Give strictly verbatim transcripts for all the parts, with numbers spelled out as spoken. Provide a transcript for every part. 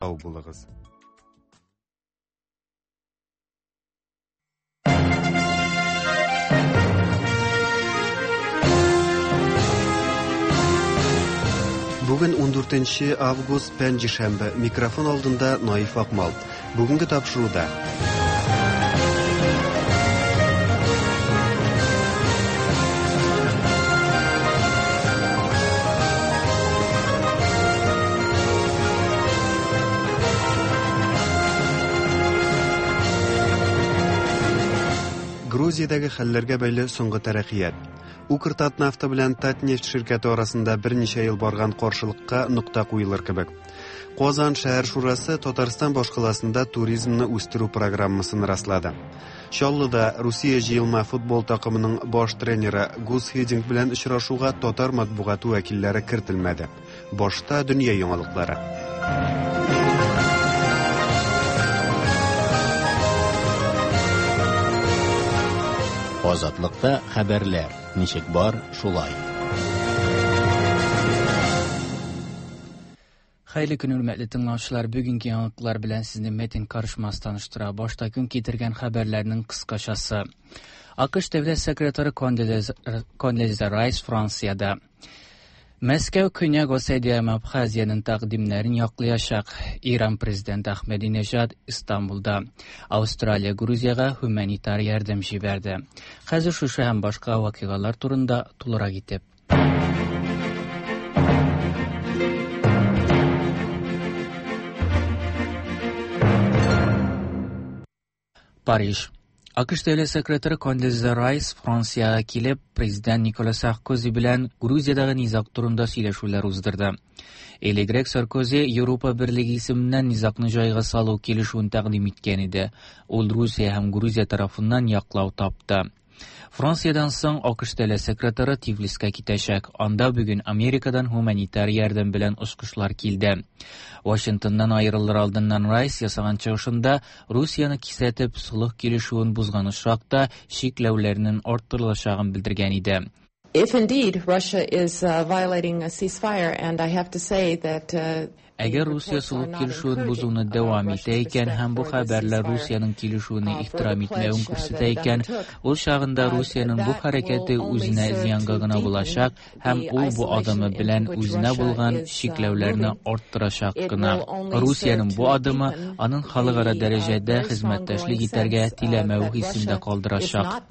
Сау булыгыз. Бүген ун дүртенче август, пәнҗешәмбе. Микрофон алдында Наиф Акмал. Бүгенге тапшыруда Грузиядәге хәлләргә бәйле соңгы тәрәккыят. Укртатнафта белән Татнефть ширкәте арасында берничә ел барган каршылыкка нокта куелыр кебек. Казан шәһәр шурасы Татарстан башкаласында туризмны үстерү программасын раслады. Чаллыда Русия җыелма футбол такымының баш тренеры Гус Хидинг белән очрашуга татар матбугаты вәкилләре кертелмәде. Башта дөнья яңалыклары. Азатлыкта хәбәрләр ничек бар, шулай. Хәерле көн, хөрмәтле тыңлаучылар. Бүгенге яңалыклар белән сезне Метин Карышмас таныштыра. Башта көн китергән хәбәрләрнең кыскачасы. АКШ дәүләт секретаре Кондолиза Райс Франциядә. Мәскәү Көньяк Осетия һәм Абхазиянең тәкъдимнәрен яклаячак. Иран президенты Ахмединежад Истанбулда. Австралия Грузиягә гуманитар ярдәм җибәрде. Хәзер шушы һәм башка вакыйгалар турында тулырак итеп. Париж. АКШ дәүләт секретаре Кондолиза Райс Франциягә килеп, президент Никола Саркози белән Грузиядәге низаг турында сөйләшүләр уздырды. Элегрәк Саркози Европа Берлеге исеменнән низагны җайга салу килешүен тәкъдим иткән иде. Ул Русия һәм Грузия тарафыннан яклау тапты. Франциядән соң АКШ дәүләт секретаре Тифлискә китәчәк. Анда бүген Америкадан гуманитар ярдәм белән очкычлар килде. Вашингтоннан аерылыр алдыннан Райс ясаган чыгышында Русияне кисәтеп, солых килешүен бозган очракта чикләүләрнең арттырылачагын белдергән иде. If indeed Russia is uh, violating a ceasefire, and I have to say that uh, Әгәр Русия солых килешүен бозуны дәвам итә икән һәм бу хәбәрләр Русиянең килешүенә ихтирам итмәвен күрсәтә икән, ул чагында Русиянең бу хәрәкәте үзенә зыянга гына булачак һәм ул бу адымы белән үзенә булган чикләүләрне арттырачак кына. Русиянең бу адымы аның халыкара дәрәҗәдә хезмәттәшлек итәргә теләмәве хисендә калдырачак.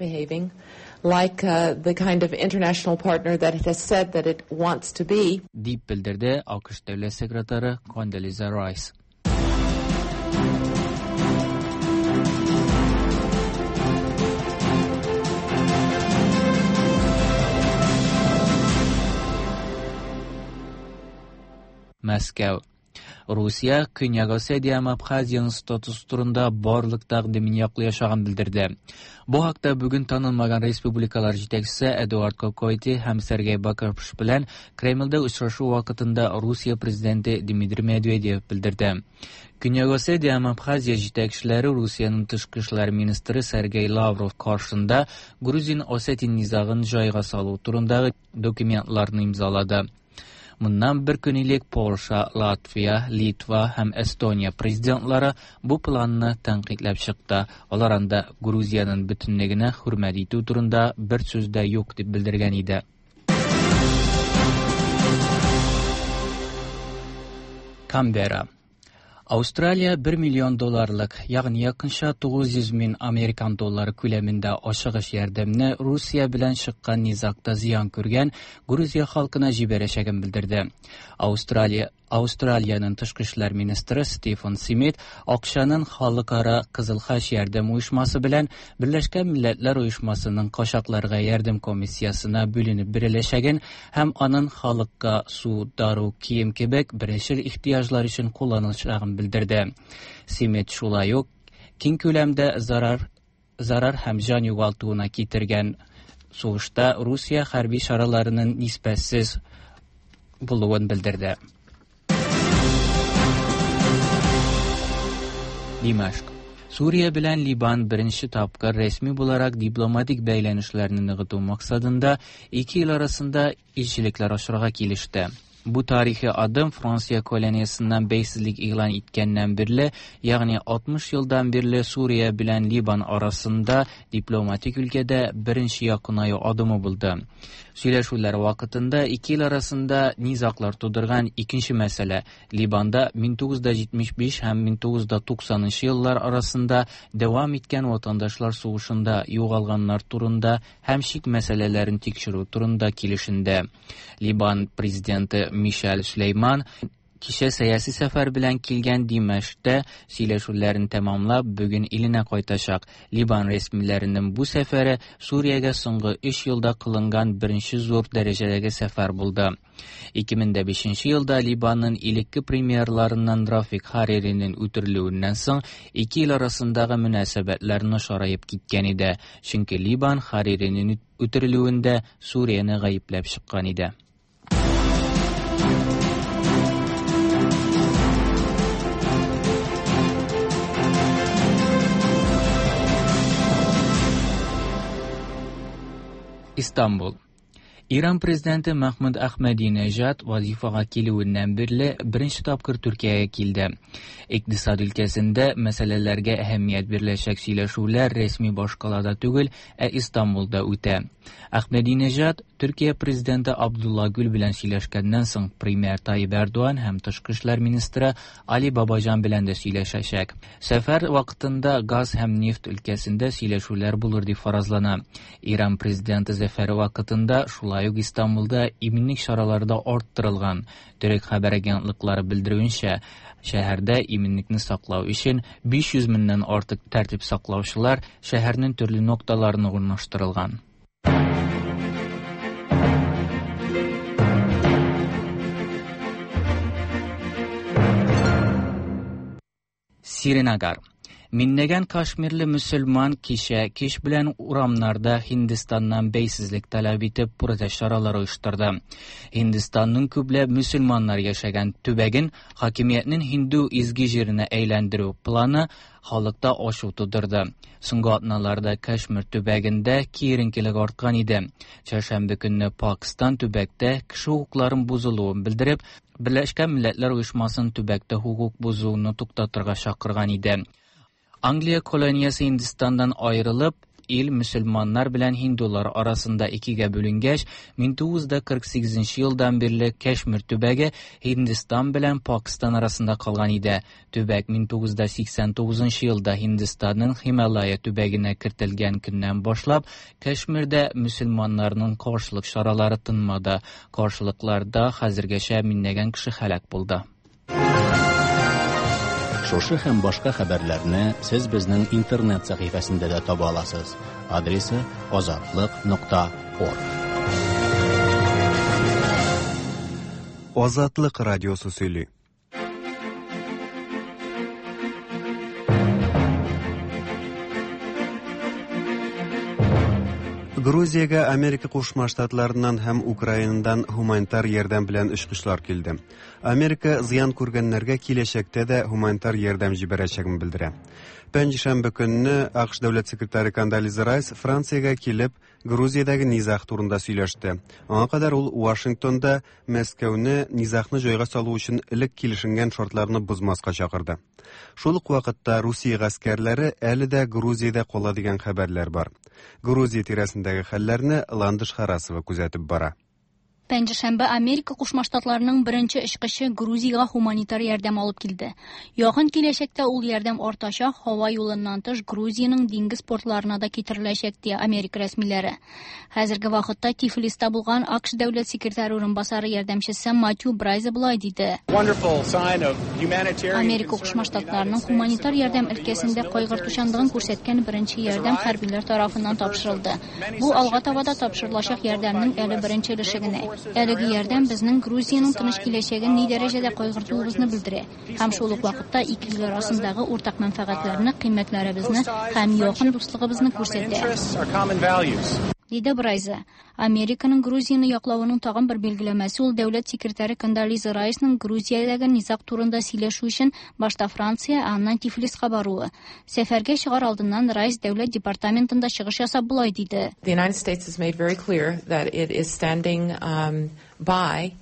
Like uh, the kind of international partner that it has said that it wants to be. Дип белдерде АКШ дәүләт секретаре Кондолиза Райс. Мәскәү. Русия Көньяк Осетия һәм Абхазиянең статусы турында барлык тәкъдимен яклаячагын белдерде. Бу хакта бүген танылмаган республикалар җитәкчесе Эдуард Кокойти һәм Сергей Бакарпш белән Кремльдә очрашу вакытында Русия президенты Дмитрий Медведев белдерде. Көньяк Осетия һәм Абхазия җитәкчеләре Русиянең тышкы эшләр министры Сергей Лавров каршында Грузин-Осетин низагын җайга салу турындагы документларны имзалады. Моннан бер көн элек Польша, Латвия, Литва һәм Эстония президентлары бу планны тәнкыйтьләп чыкты. Алар анда Грузиянең бөтенлегенә хөрмәт итү турында бер сүз дә юк дип белдергән иде. Канберра. Австралия бер миллион долларлык, ягъни якынча тугыз йөз мең американ доллары күләмендә ашыгыч ярдәмне Русия белән чыккан низагта зыян күргән Грузия халкына җибәрәчәген белдерде. Австралия Австралиянең тышкы эшләр министры Стивен Смит акчаның халыкара Кызыл Хач ярдәм оешмасы белән Берләшкән Милләтләр Оешмасының качакларга ярдәм комиссиясенә бүленеп биреләчәген һәм аның халыкка су, дару, кием кебек беренчел ихтыяҗлар өчен кулланылачагын белдерде. Смит шулай ук киң күләмдә зарар, зарар һәм җан югалтуына китергән сугышта Русия хәрби чараларының нисбәтсез булуын белдерде. Димашк. Сүрия белән Либан беренче тапкыр рәсми буларак дипломатик бәйләнешләрне ныгыту максатында ике ил арасында илчелекләр ачырга килеште. Бу тарихи адым Франция колониясеннән бәйсезлек игълан иткәннән бирле, ягъни алтмыш елдан бирле Сүрия белән Либан арасында дипломатик өлкәдә беренче якынаю адымы булды. Сөйләшүләр вакытында ике ил арасында низаглар тудырган икенче мәсьәлә Либанда мең тугыз йөз җитмеш биш һәм мең тугыз йөз туксанынчы еллар арасында дәвам иткән ватандашлар сугышында югалганнар турында һәм чик мәсьәләләрен тикшерү турында килешенде. Либан президенты Мишель Сөләйман кичә сәяси сәфәр белән килгән Димәшктә сөйләшүләрен тәмамлап, бүген иленә кайтачак. Либан рәсмиләренең бу сәфәре Сүриягә соңгы өч елда кылынган беренче зур дәрәҗәдәге сәфәр булды. ике мең дә бишенче елда Либанның элекке премьерларыннан Рафик Хариринең үтерелүеннән соң ике ил арасындагы мөнәсәбәтләр начараеп киткән иде. Чөнки Либан Хариринең үтерелүендә Сүрияне гаепләп чыккан иде. Истанбул. Иран президенты Мәхмүд Әхмәдинежад вазифага килүеннән бирле беренче тапкыр Төркиягә килде. Икътисад өлкәсендә мәсьәләләргә әһәмият биреләчәк сөйләшүләр рәсми башкалада түгел, ә Истанбулда үтә. Әхмәдинежад Төркия президенты Абдулла Гүл белән сөйләшкәннән соң премьер Тайип Эрдоган һәм тышкы эшләр министры Али Бабаҗан белән дә сөйләшәчәк. Сәфәр вакытында газ һәм нефть өлкәсендә сөйләшүләр булыр дип фаразлана. Иран президенты сәфәре вакытында шулай ук Истанбулда иминлек чаралары да арттырылган. Төрек хәбәр агентлыклары белдерүенчә, шәһәрдә иминлекне саклау өчен биш йөз меңнән артык тәртип саклаучылар шәһәрнең төрле нокталарына урнаштырылган. Сринагар. Миннәгән Кашмирле мөселман кичә кич белән урамнарда Һиндстаннан бәйсезлек таләп итеп протест чаралары оештырды. Һиндстанның күпләп мөселманнар яшәгән төбәген хакимиятнең һинду изге җиренә әйләндерү планы халыкта ачу тудырды. Соңгы атналарда Кашмир төбәгендә киеренкелек арткан иде. Чәршәмбе көнне Пакистан төбәктә кеше хокукларын бозылуын белдереп, Берләшкән Милләтләр Оешмасын төбәктә хокук бозуны туктатырга чакырган иде. Англия колониясе Һиндстаннан аерылып, ил мөселманнар белән һиндулар арасында икегә бүленгәч, мең тугыз йөз кырык сигезенче елдан бирле Кашмир төбәге Һиндстан белән Пакистан арасында калган иде. Төбәк мең тугыз йөз сиксән тугызынчы елда Һиндстанның Һималая төбәгенә кертелгән көннән башлап, Кашмирдә мөселманнарның каршылык чаралары тынмады. Каршылыкларда хәзергәчә меңләгән кеше һәлак булды. Шушы һәм башка хәбәрләрне сез безнең интернет сәхифәсендә дә таба аласыз. Адресы азатлык нокта орг. Азатлык радиосы сөйли. Грузиягә Америка Кушма Штатларыннан һәм Украинадан гуманитар ярдәм белән очкычлар килде. Америка зыян күргәннәргә киләчәктә дә гуманитар ярдәм җибәрәчәген белдерә. Пәнҗешәмбе көнне АКШ дәүләт секретаре Кондолиза Райс Франциягә килеп, Грузиядәге низаг турында сөйләште. Аңа кадәр ул Вашингтонда Мәскәүне низагны җайга салу өчен элек килешенгән шартларны бозмаска чакырды. Шул ук вакытта Русия гаскәрләре әле дә Грузиядә кала дигән хәбәрләр бар. Грузия тирәсендәге хәлләрне Ландыш Харасова күзәтеп бара. Пәнҗешәмбе Америка Кушма Штатларының беренче очкычы Грузиягә гуманитар ярдәм алып килде. Якын киләчәктә ул ярдәм артачак, һава юлыннан тыш Грузиянең диңгез портларына да китереләчәк, ди Америка рәсмиләре. Хәзерге вакытта Тифлиста булган АКШ дәүләт секретаре урынбасары ярдәмчесе Матью Брайза болай диде. Америка Кушма Штатларының гуманитар ярдәм өлкәсендә кайгыртучанлыгын күрсәткән беренче ярдәм хәрбиләр тарафыннан тапшырылды. Бу алга таба да тапшырылачак ярдәмнең әле беренче өлеше генә. Әлеге ярдәм безнең Грузиянең тыныч киләчәген ни дәрәҗәдә кайгыртуыбызны белдерә. Һәм шул ук вакытта ике ил арасындагы уртак мәнфәгатьләрне, кыйммәтләребезне һәм якын дуслыгыбызны күрсәтә. Диде Брайза. Американың Грузияне яклавының тагын бер билгеләмәсе ул дәүләт секретаре Кондолиза Райсның Грузиядәге низаг турында сөйләшү өчен башта Франция, ә аннан Тифлиска баруы. Сәфәргә чыгар алдыннан Райс дәүләт департаментында чыгыш ясап болай диде. The United States has made very clear that it is standing um, by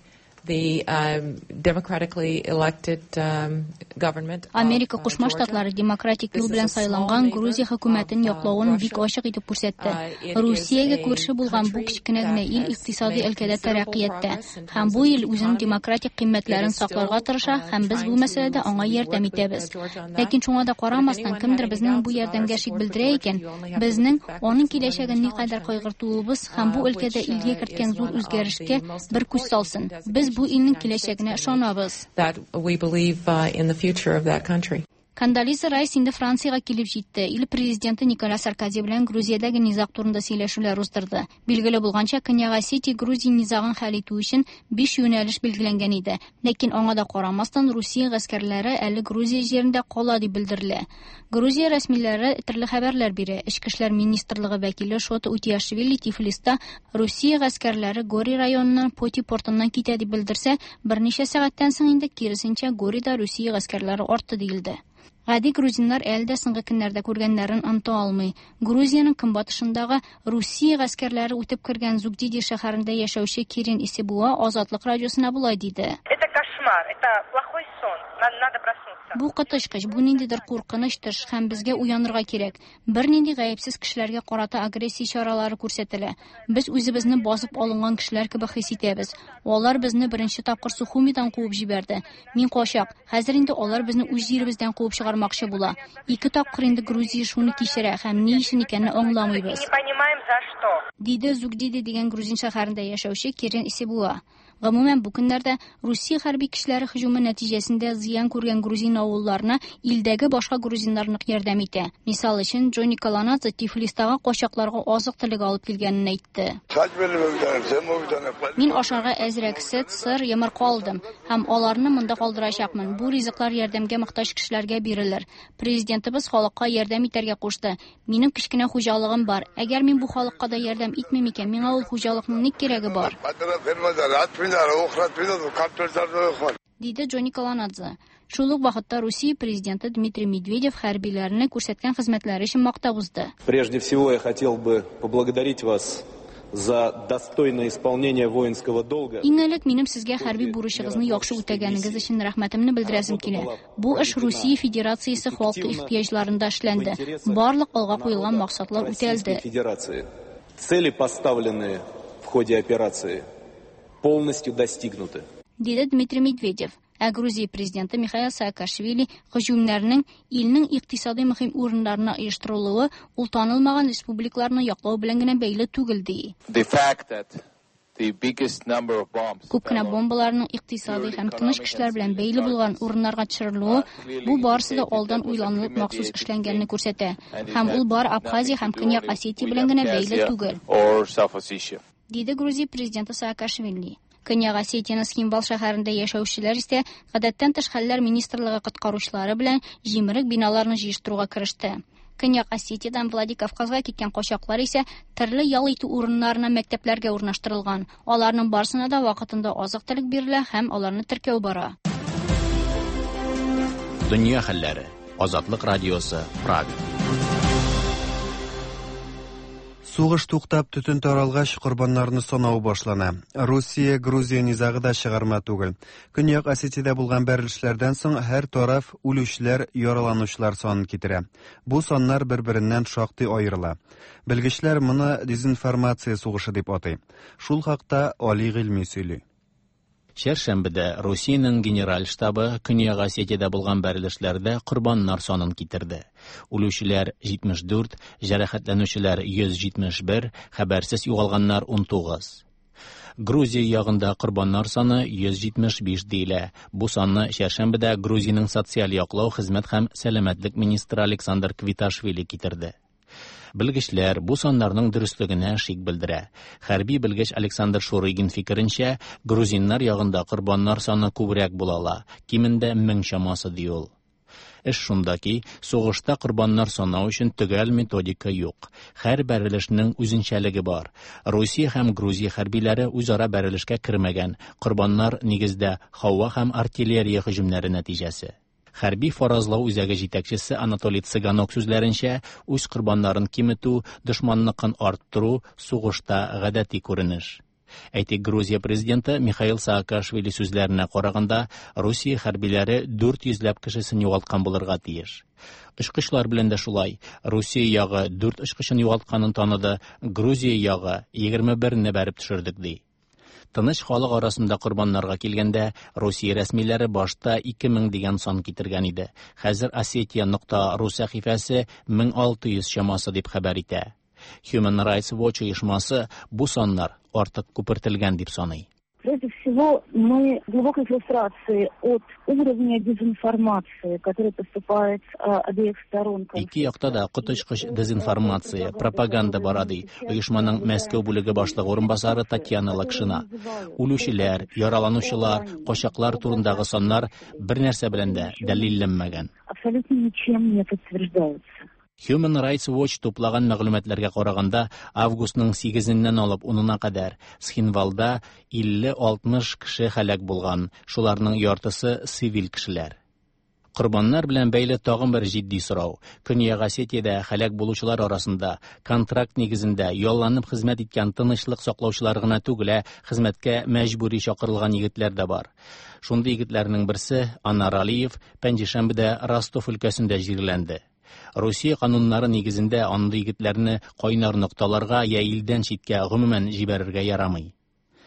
the um, democratically elected um, government. Америка Кушма Штатлары демократик юл белән сайланган Грузия хөкүмәтен яклавын бик ачык итеп күрсәтте. Русиягә күрше булган бу кечкенә генә ил икътисади өлкәдә тәрәккыятьтә һәм бу ил үзенең демократик кыйммәтләрен сакларга тырыша һәм без бу мәсьәләдә аңа ярдәм итәбез. Ләкин шуңа да карамастан, кемдер безнең бу ярдәмгә шик белдерә икән, безнең аның киләчәген никадәр кайгыртуыбыз һәм бу өлкәдә илгә керткән зур үзгәрешкә бер күз салсын. Без бу илнең киләчәгенә ышанабыз. That we believe uh, in the future of that country. Кондолиза Райс инде Франциягә килеп җитте. Ил президенты Николя Саркози белән Грузиядәге низаг турында сөйләшүләр уздырды. Билгеле булганча, Көньяк Осетия Грузия низагын хәл итү өчен биш юнәлеш билгеләнгән иде. Ләкин аңа да карамастан, Русия гаскәрләре әле Грузия җирендә кала дип белдерелә. Грузия рәсмиләре төрле хәбәрләр бирә. Эчке эшләр министрлыгы вәкиле Шота Утиашвили Тифлиста Русия гаскәрләре Гори районыннан Поти портыннан китә дип белдерсә, берничә сәгатьтән соң инде киресенчә Горида Русия гаскәрләре артты диелде. Гади грузиннар әле дә соңгы көннәрдә күргәннәрен оныта алмый. Грузиянең көнбатышындагы Русия гаскәрләре үтеп кергән Зугдиди шәһәрендә яшәүче Кирин Исебуа Азатлык радиосына болай диде. Это кошмар, это плохой сон. Надо проснуться. Бу коточкыч, бу ниндидер куркыныч төш һәм безгә уянырга кирәк. Бернинди гаепсез кешеләргә карата агрессия чаралары күрсәтелә. Без үзебезне басып алынган кешеләр кебек хис итәбез. Алар безне беренче тапкыр Сухумидан куып җибәрде. Мин качак. Хәзер инде алар безне үз җиребездән куып чыгармакчы була. Ике тапкыр инде Грузия шуны кичерә һәм ни өчен икәнен аңламыйбыз. Не понимаем за что. Диде Зугдиди дигән грузин шәһәрендә яшәүче Кирин Исебуа. Гомумән, бу көннәрдә Русия хәрби көчләре һөҗүме нәтиҗәсендә зыян күргән грузин авылларына илдәге башка грузиннар нык ярдәм итә. Мисал өчен, Джонни Каланадзе Тифлистагы качакларга азык-төлек алып килгәнен әйтте. Мин ашарга әзрәк сөт, сыр, йомырка алдым һәм аларны монда калдырачакмын. Бу ризыклар ярдәмгә мохтаҗ кешеләргә бирелер. Президентыбыз халыкка ярдәм итәргә кушты. Минем кечкенә хуҗалыгым бар. Әгәр мин бу халыкка да ярдәм итмим икән, миңа ул хуҗалыкның ни кирәге бар? Диде Джонни Каланадзе. Шул ук вакытта Русия президенты Дмитрий Медведев хәрбиләрне күрсәткән хезмәтләре өчен мактап узды. Прежде всего я хотел бы поблагодарить вас за достойное исполнение воинского долга. Иң элек минем сезгә хәрби бурычыгызны яхшы үтәгәнегез өчен рәхмәтемне белдерәсем килә. Бу эш Русия Федерациясе халкы ихтыяҗларында эшләнде. Барлык алга куелган максатлар үтәлде. Цели, поставленные в ходе операции, полностью достигнуты. Диде Дмитрий Медведев. Ә Грузия президенты Михаил Саакашвили һөҗүмнәрнең илнең икътисади мөһим урыннарына оештырылуы ул танылмаган республикаларны яклау белән генә бәйле түгел ди. The fact that the biggest number of bombs Күп кенә бомбаларның икътисади һәм тыныч кешеләр белән бәйле булган урыннарга төшерелүе бу барысы да алдан уйланылып махсус эшләнгәнне күрсәтә. Һәм ул бар Абхазия һәм Көньяк Осетия белән генә бәйле түгел. or South Ossetia. Диде Грузия президенты Саакашвили. Көньяк Осетияның Цхинвал шәһәрендә яшәүчеләр исә гадәттән тыш хәлләр министрлыгы коткаручылары белән җимерек биналарны җыештыруга кереште. Көньяк Осетиядан Владикавказга киткән качаклар исә төрле ял итү урыннарына, мәктәпләргә урнаштырылган. Аларның барысына да вакытында азык-төлек бирелә һәм аларны теркәү бара. Дөнья хәлләре. Азатлык радиосы, Прага. Сугыш туктап, төтен таралгач, корбаннарны санау башлана. Русия, Грузия низагы да чыгарма түгел. Көньяк Осетиядә булган бәрелешләрдән соң һәр тараф үлүчеләр, яраланучылар санын китерә. Бу саннар бер-береннән шактый аерыла. Белгечләр моны дезинформация сугышы дип атый. Шул хакта Али Гыйльми сөйли. Чәршәмбедә Русиянең генераль штабы Көньяк Осетиядә булган бәрелешләрдә корбаннар санын китерде. Үлүчеләр җитмеш дүрт, җәрәхәтләнүчеләр йөз җитмеш бер, хәбәрсез югалганнар ун тугыз. Грузия ягында корбаннар саны йөз җитмеш биш диелә. Бу санны чәршәмбедә Грузиянең социаль яклау, хезмәт һәм сәламәтлек министры Александр Квиташвили китерде. Белгечләр бу саннарның дөреслегенә шик белдерә. Хәрби белгеч Александр Шурыгин фикеренчә, грузиннар ягында корбаннар саны күбрәк була ала, кимендә мең чамасы ди ул. Эш шунда ки, сугышта корбаннар санау өчен төгәл методика юк. Һәр бәрелешнең үзенчәлеге бар. Русия һәм Грузия хәрбиләре үзара бәрелешкә кермәгән. Корбаннар нигездә һава һәм артиллерия һөҗүмнәре нәтиҗәсе. Хәрби фаразлау үзәге җитәкчесе Анатолий Цыганок сүзләренчә, үз корбаннарын киметү, дошманныкын арттыру сугышта гадәти күренеш. Әйтик, Грузия президенты Михаил Саакашвили сүзләренә караганда, Русия хәрбиләре дүрт йөзләп кешесен югалткан булырга тиеш. Очкычлар белән дә шулай. Русия ягы дүрт очкычын югалтканын таныды, Грузия ягы егерме берне бәреп төшердек ди. Тыныч халык арасында корбаннарга килгәндә, Русия рәсмиләре башта ике мең дигән сан китергән иде. Хәзер Осетия нокта ру сәхифәсе мең алты йөз чамасы дип хәбәр итә. Human Rights Watch оешмасы бу саннар артык күпертелгән дип саный. Прежде всего, мы в глубокой фрустрации от уровня дезинформации, который поступает обеих сторон. Ике якта да коточкыч дезинформация, пропаганда бара ди оешманың Мәскәү бүлеге башлыгы урынбасары Татьяна Лакшина. Үлүчеләр, яраланучылар, качаклар турындагы саннар бер нәрсә белән дә дәлилләнмәгән. Абсолютно ничем не подтверждаются. Human Rights Watch туплаган мәгълүматларга караганда, августның сигезеннән алып унына кадәр Схинвалда илле алтмыш кеше һәлак булган, шуларның яртысы цивиль кешеләр. Корбаннар белән бәйле тагын бер җитди сорау. Көньяк Осетиядә һәлак булучылар арасында контракт нигезендә ялланып хезмәт иткән тынычлык саклаучылар гына түгел, ә хезмәткә мәҗбүри чакырылган егетләр дә бар. Шундый егетләрнең берсе Анар Алиев пәнҗешәмбедә Ростов өлкәсендә җирләнде. Русия кануннары нигезендә андый егетләрне кайнар нокталарга я илдән читкә гомумән җибәрергә ярамый.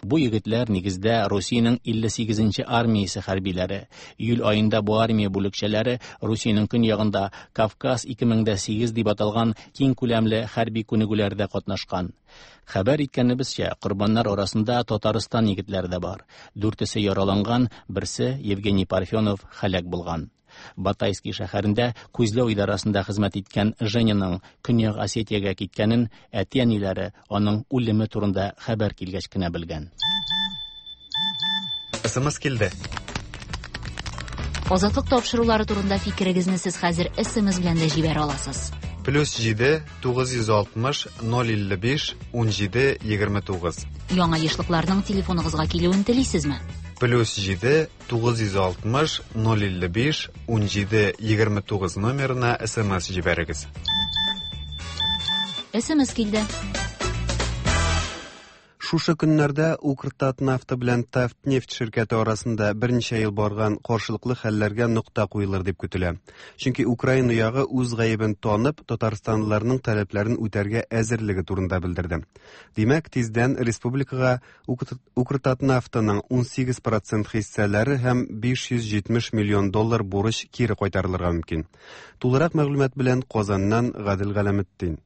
Бу егетләр нигездә Русиянең илле сигезенче армиясе хәрбиләре. Июль аенда бу армия бүлекчәләре Русиянең көньягында Кавказ ике мең дә сигез дип аталган киң күләмле хәрби күнегүләрдә катнашкан. Хәбәр иткәнебезчә, корбаннар арасында Татарстан егетләре дә бар. Дүртесе яраланган, берсе Евгений Парфенов һәлак булган. Батайский шәһәрендә күзләү идарасында хезмәт иткән Женяның Көньяк Осетиягә киткәнен әти-әниләре аның үлеме турында хәбәр килгәч кенә белгән. СМС килде. Азатлык тапшырулары турында фикерегезне сез хәзер СМС белән дә җибәрә аласыз. Плюс җиде тугыз йөз алтмыш ноль илле биш ун җиде егерме тугыз. Яңа ешлыкларның телефоныгызга килүен телисезме? Плюс җиде тугыз йөз алтмыш ноль илле биш ун җиде егерме тугыз номерына СМС җибәрегез. СМС килде. Шушы көннәрдә Укртатнафта белән Татнефть ширкәте арасында берничә ел барган каршылыклы хәлләргә нокта куелыр дип көтелә. Чөнки Украина ягы үз гаебен танып, татарстанлыларның таләпләрен үтәргә әзерлеге турында белдерде. Димәк, тиздән республикага Укртатнафтаның ун сигез процент хиссәләре һәм биш йөз җитмеш миллион доллар бурыч кире кайтарылырга мөмкин. Тулырак мәгълүмат белән Казаннан Гадел Галәметдин.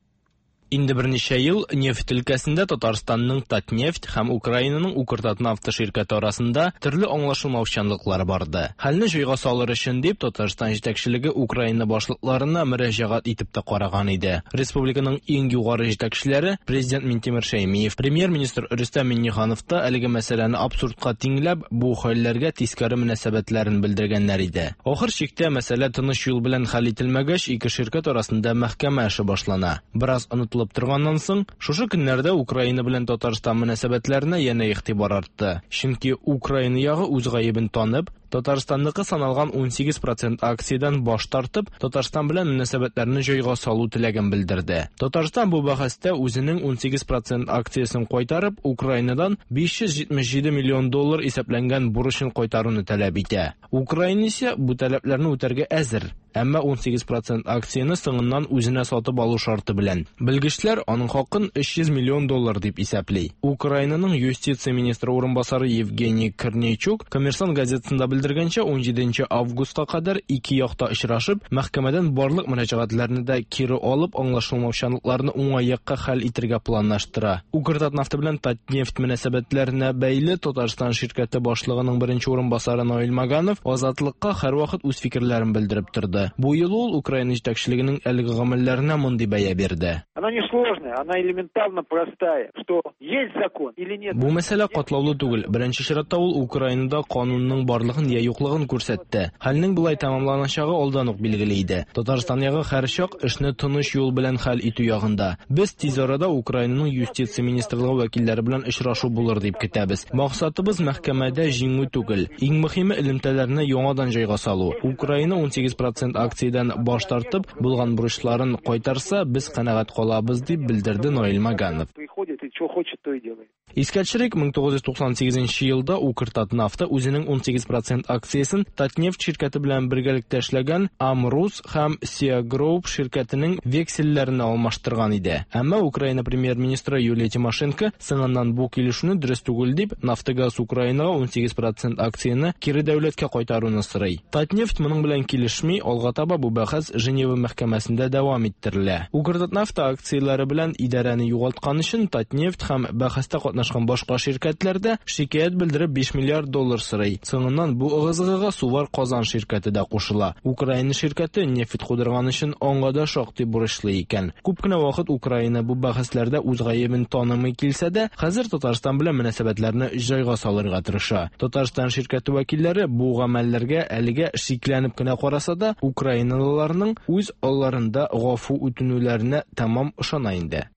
Инде берничә ел нефть өлкәсендә Татарстанның Татнефть һәм Украинаның Укртатнафта ширкәте арасында төрле аңлашылмаучанлыклар барды. Хәлне җайга салыр өчен дип Татарстан җитәкчелеге Украина башлыкларына мөрәҗәгать итеп тә караган иде. Республиканың иң югары җитәкчеләре президент Минтимер Шәймиев, премьер-министр Рөстәм Миңнеханов та әлеге мәсьәләне абсурдка тиңләп, бу хәлләргә тискәре мөнәсәбәтләрен белдергәннәр иде. Ахыр чиктә мәсьәлә тыныч юл белән хәл ителмәгәч, ике ширкәт арасында мәхкәмә эше башлана. Бераз онытылып торганнан соң, шушы көннәрдә Украина белән Татарстан мөнәсәбәтләренә янә игътибар артты. Чөнки Украина ягы үз гаебен танып, Татарстанныкы саналган ун сигез процент акциядән баш тартып, Татарстан белән мөнәсәбәтләрне җайга салу теләген белдерде. Татарстан бу бәхәстә үзенең ун сигез процент акциясен кайтарып, Украинадан биш йөз җитмеш җиде миллион доллар исәпләнгән бурычын кайтаруны таләп итә. Украина исә бу таләпләрне үтәргә әзер, әмма ун сигез процент акцияне соңыннан үзенә сатып алу шарты белән. Белгечләр аның хакын өч йөз миллион доллар дип исәпли. Украинаның юстиция министры урынбасары Евгений Корнейчук Коммерсант газетасында белдергәнчә, ун җиденче августка кадәр ике якта очрашып, мәхкәмәдән барлык мөрәҗәгатьләрне дә кире алып, аңлашылмаучанлыкларны уңай якка хәл итәргә планлаштыра. Укртатнафта белән Татнефть мөнәсәбәтләренә бәйле Татарстан ширкәте башлыгының беренче урынбасары Наил Маганов Азатлыкка һәрвакыт үз фикерләрен белдереп торды. Бу юлы ул Украина җитәкчелегенең әлеге гамәлләренә мондый бәя бирде. Она не сложная, она элементарно простая, что есть закон или нет. Бу мәсьәлә катлаулы түгел. Беренче чиратта ул Украинада канунның барлыгын я юклыгын күрсәтте. Хәлнең болай тәмамланачагы алдан ук билгеле иде. Татарстан ягы һәрчак эшне тыныч юл белән хәл итү ягында. Без тиз арада Украинаның юстиция министрлыгы вәкилләре белән очрашу булыр дип көтәбез. Максатыбыз мәхкәмәдә җиңү түгел. Иң мөһиме элемтәләрне яңадан җайга салу. Украина ун сигез процент акциядән баш тартып, булган бурычларын кайтарса, без канәгать калабыз дип белдерде Наил Маганов. Приходит и что хочет, то и делает. Искә төшерик, мең тугыз йөз туксан сигезенче елда Укртатнафта үзенең унсигез процент акциясен Татнефть ширкәте белән бергәлектә эшләгән Амрус һәм Сиа Group ширкәтенең векселләренә алмаштырган иде. Әмма Украина премьер-министры Юлия Тимошенко соңыннан бу килешүне дөрес түгел дип, Нафтогаз Украинага унсигез процент акцияне кире дәүләткә кайтаруны сорый. Татнефть моның белән килешми, алга таба бу бәхәс Женева мәхкәмәсендә дәвам иттерелә. Укртатнафта акцияләре белән идарәне югалткан өчен Татнефть һәм бәхәстә катнашкан башка ширкәтләр дә шикаять белдереп биш миллиард доллар сорый. Соңыннан бу ыгы-зыгыга Сувар Казан ширкәте дә кушыла. Украина ширкәте нефть кудырган өчен аңа да шактый бурычлы икән. Күп кенә вакыт Украина бу бәхәсләрдә үз гаебен танымый килсә дә, хәзер Татарстан белән мөнәсәбәтләрне җайга салырга тырыша. Татарстан ширкәте вәкилләре бу гамәлләргә әлегә шикләнеп кенә караса да, украиналыларның үз алларында гафу үтенүләренә тәмам ышана инде.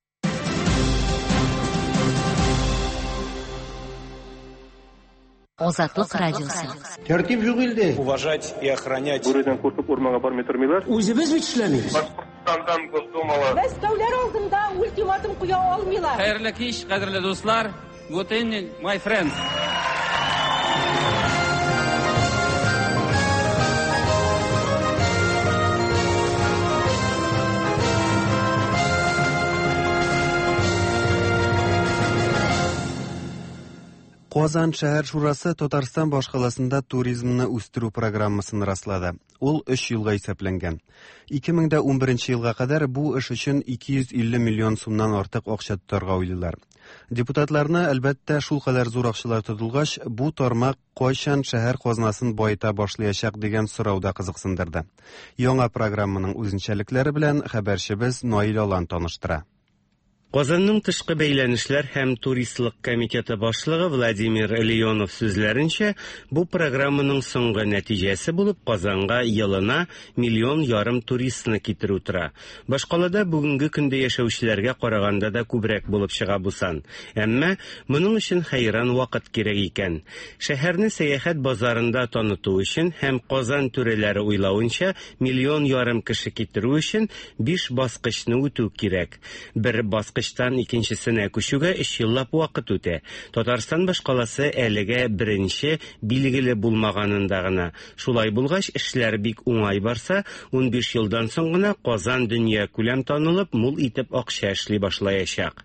Азатлык радиосы. Тәртип юк илдә. Уважать и охранять. Бүредән куркып урманга бармый тормыйлар. Үзебез бит эшләмибез. Башкортстандан Госдумала. Мәскәүләр алдында ультиматум куя алмыйлар. Хәерле кич, кадерле дуслар. Good evening, my friends. Казан шәһәр шурасы Татарстан башкаласында туризмны үстерү программасын раслады. Ул өч елга исәпләнгән. ике мең дә унберенче елга кадәр бу эш өчен ике йөз илле миллион сумнан артык акча тотарга уйлыйлар. Депутатларны, әлбәттә, шул кадәр зур акчалар тотылгач, бу тармак кайчан шәһәр казнасын баета башлаячак дигән сорау да кызыксындырды. Яңа программаның үзенчәлекләре белән хәбәрчебез Наил Алан таныштыра. Казанның тышкы бәйләнешләр һәм туристлык комитеты башлыгы Владимир Леонов сүзләренчә, бу программаның соңгы нәтиҗәсе булып Казанга елына миллион ярым туристны китерү тора. Башкалада бүгенге көндә яшәүчеләргә караганда да күбрәк булып чыга бу сан. Әмма моның өчен хәйран вакыт кирәк икән. Шәһәрне сәяхәт базарында таныту өчен һәм Казан түрәләре уйлавынча миллион ярым кеше китерү өчен биш баскычны үтү кирәк. Бер баскыч икенчесенә күчүгә өч еллап вакыт үтә. Татарстан башкаласы әлегә беренче билгеле булмаганында гына. Шулай булгач, эшләр бик уңай барса, унбиш елдан соң гына Казан дөнья күләм танылып, мул итеп акча эшли башлаячак.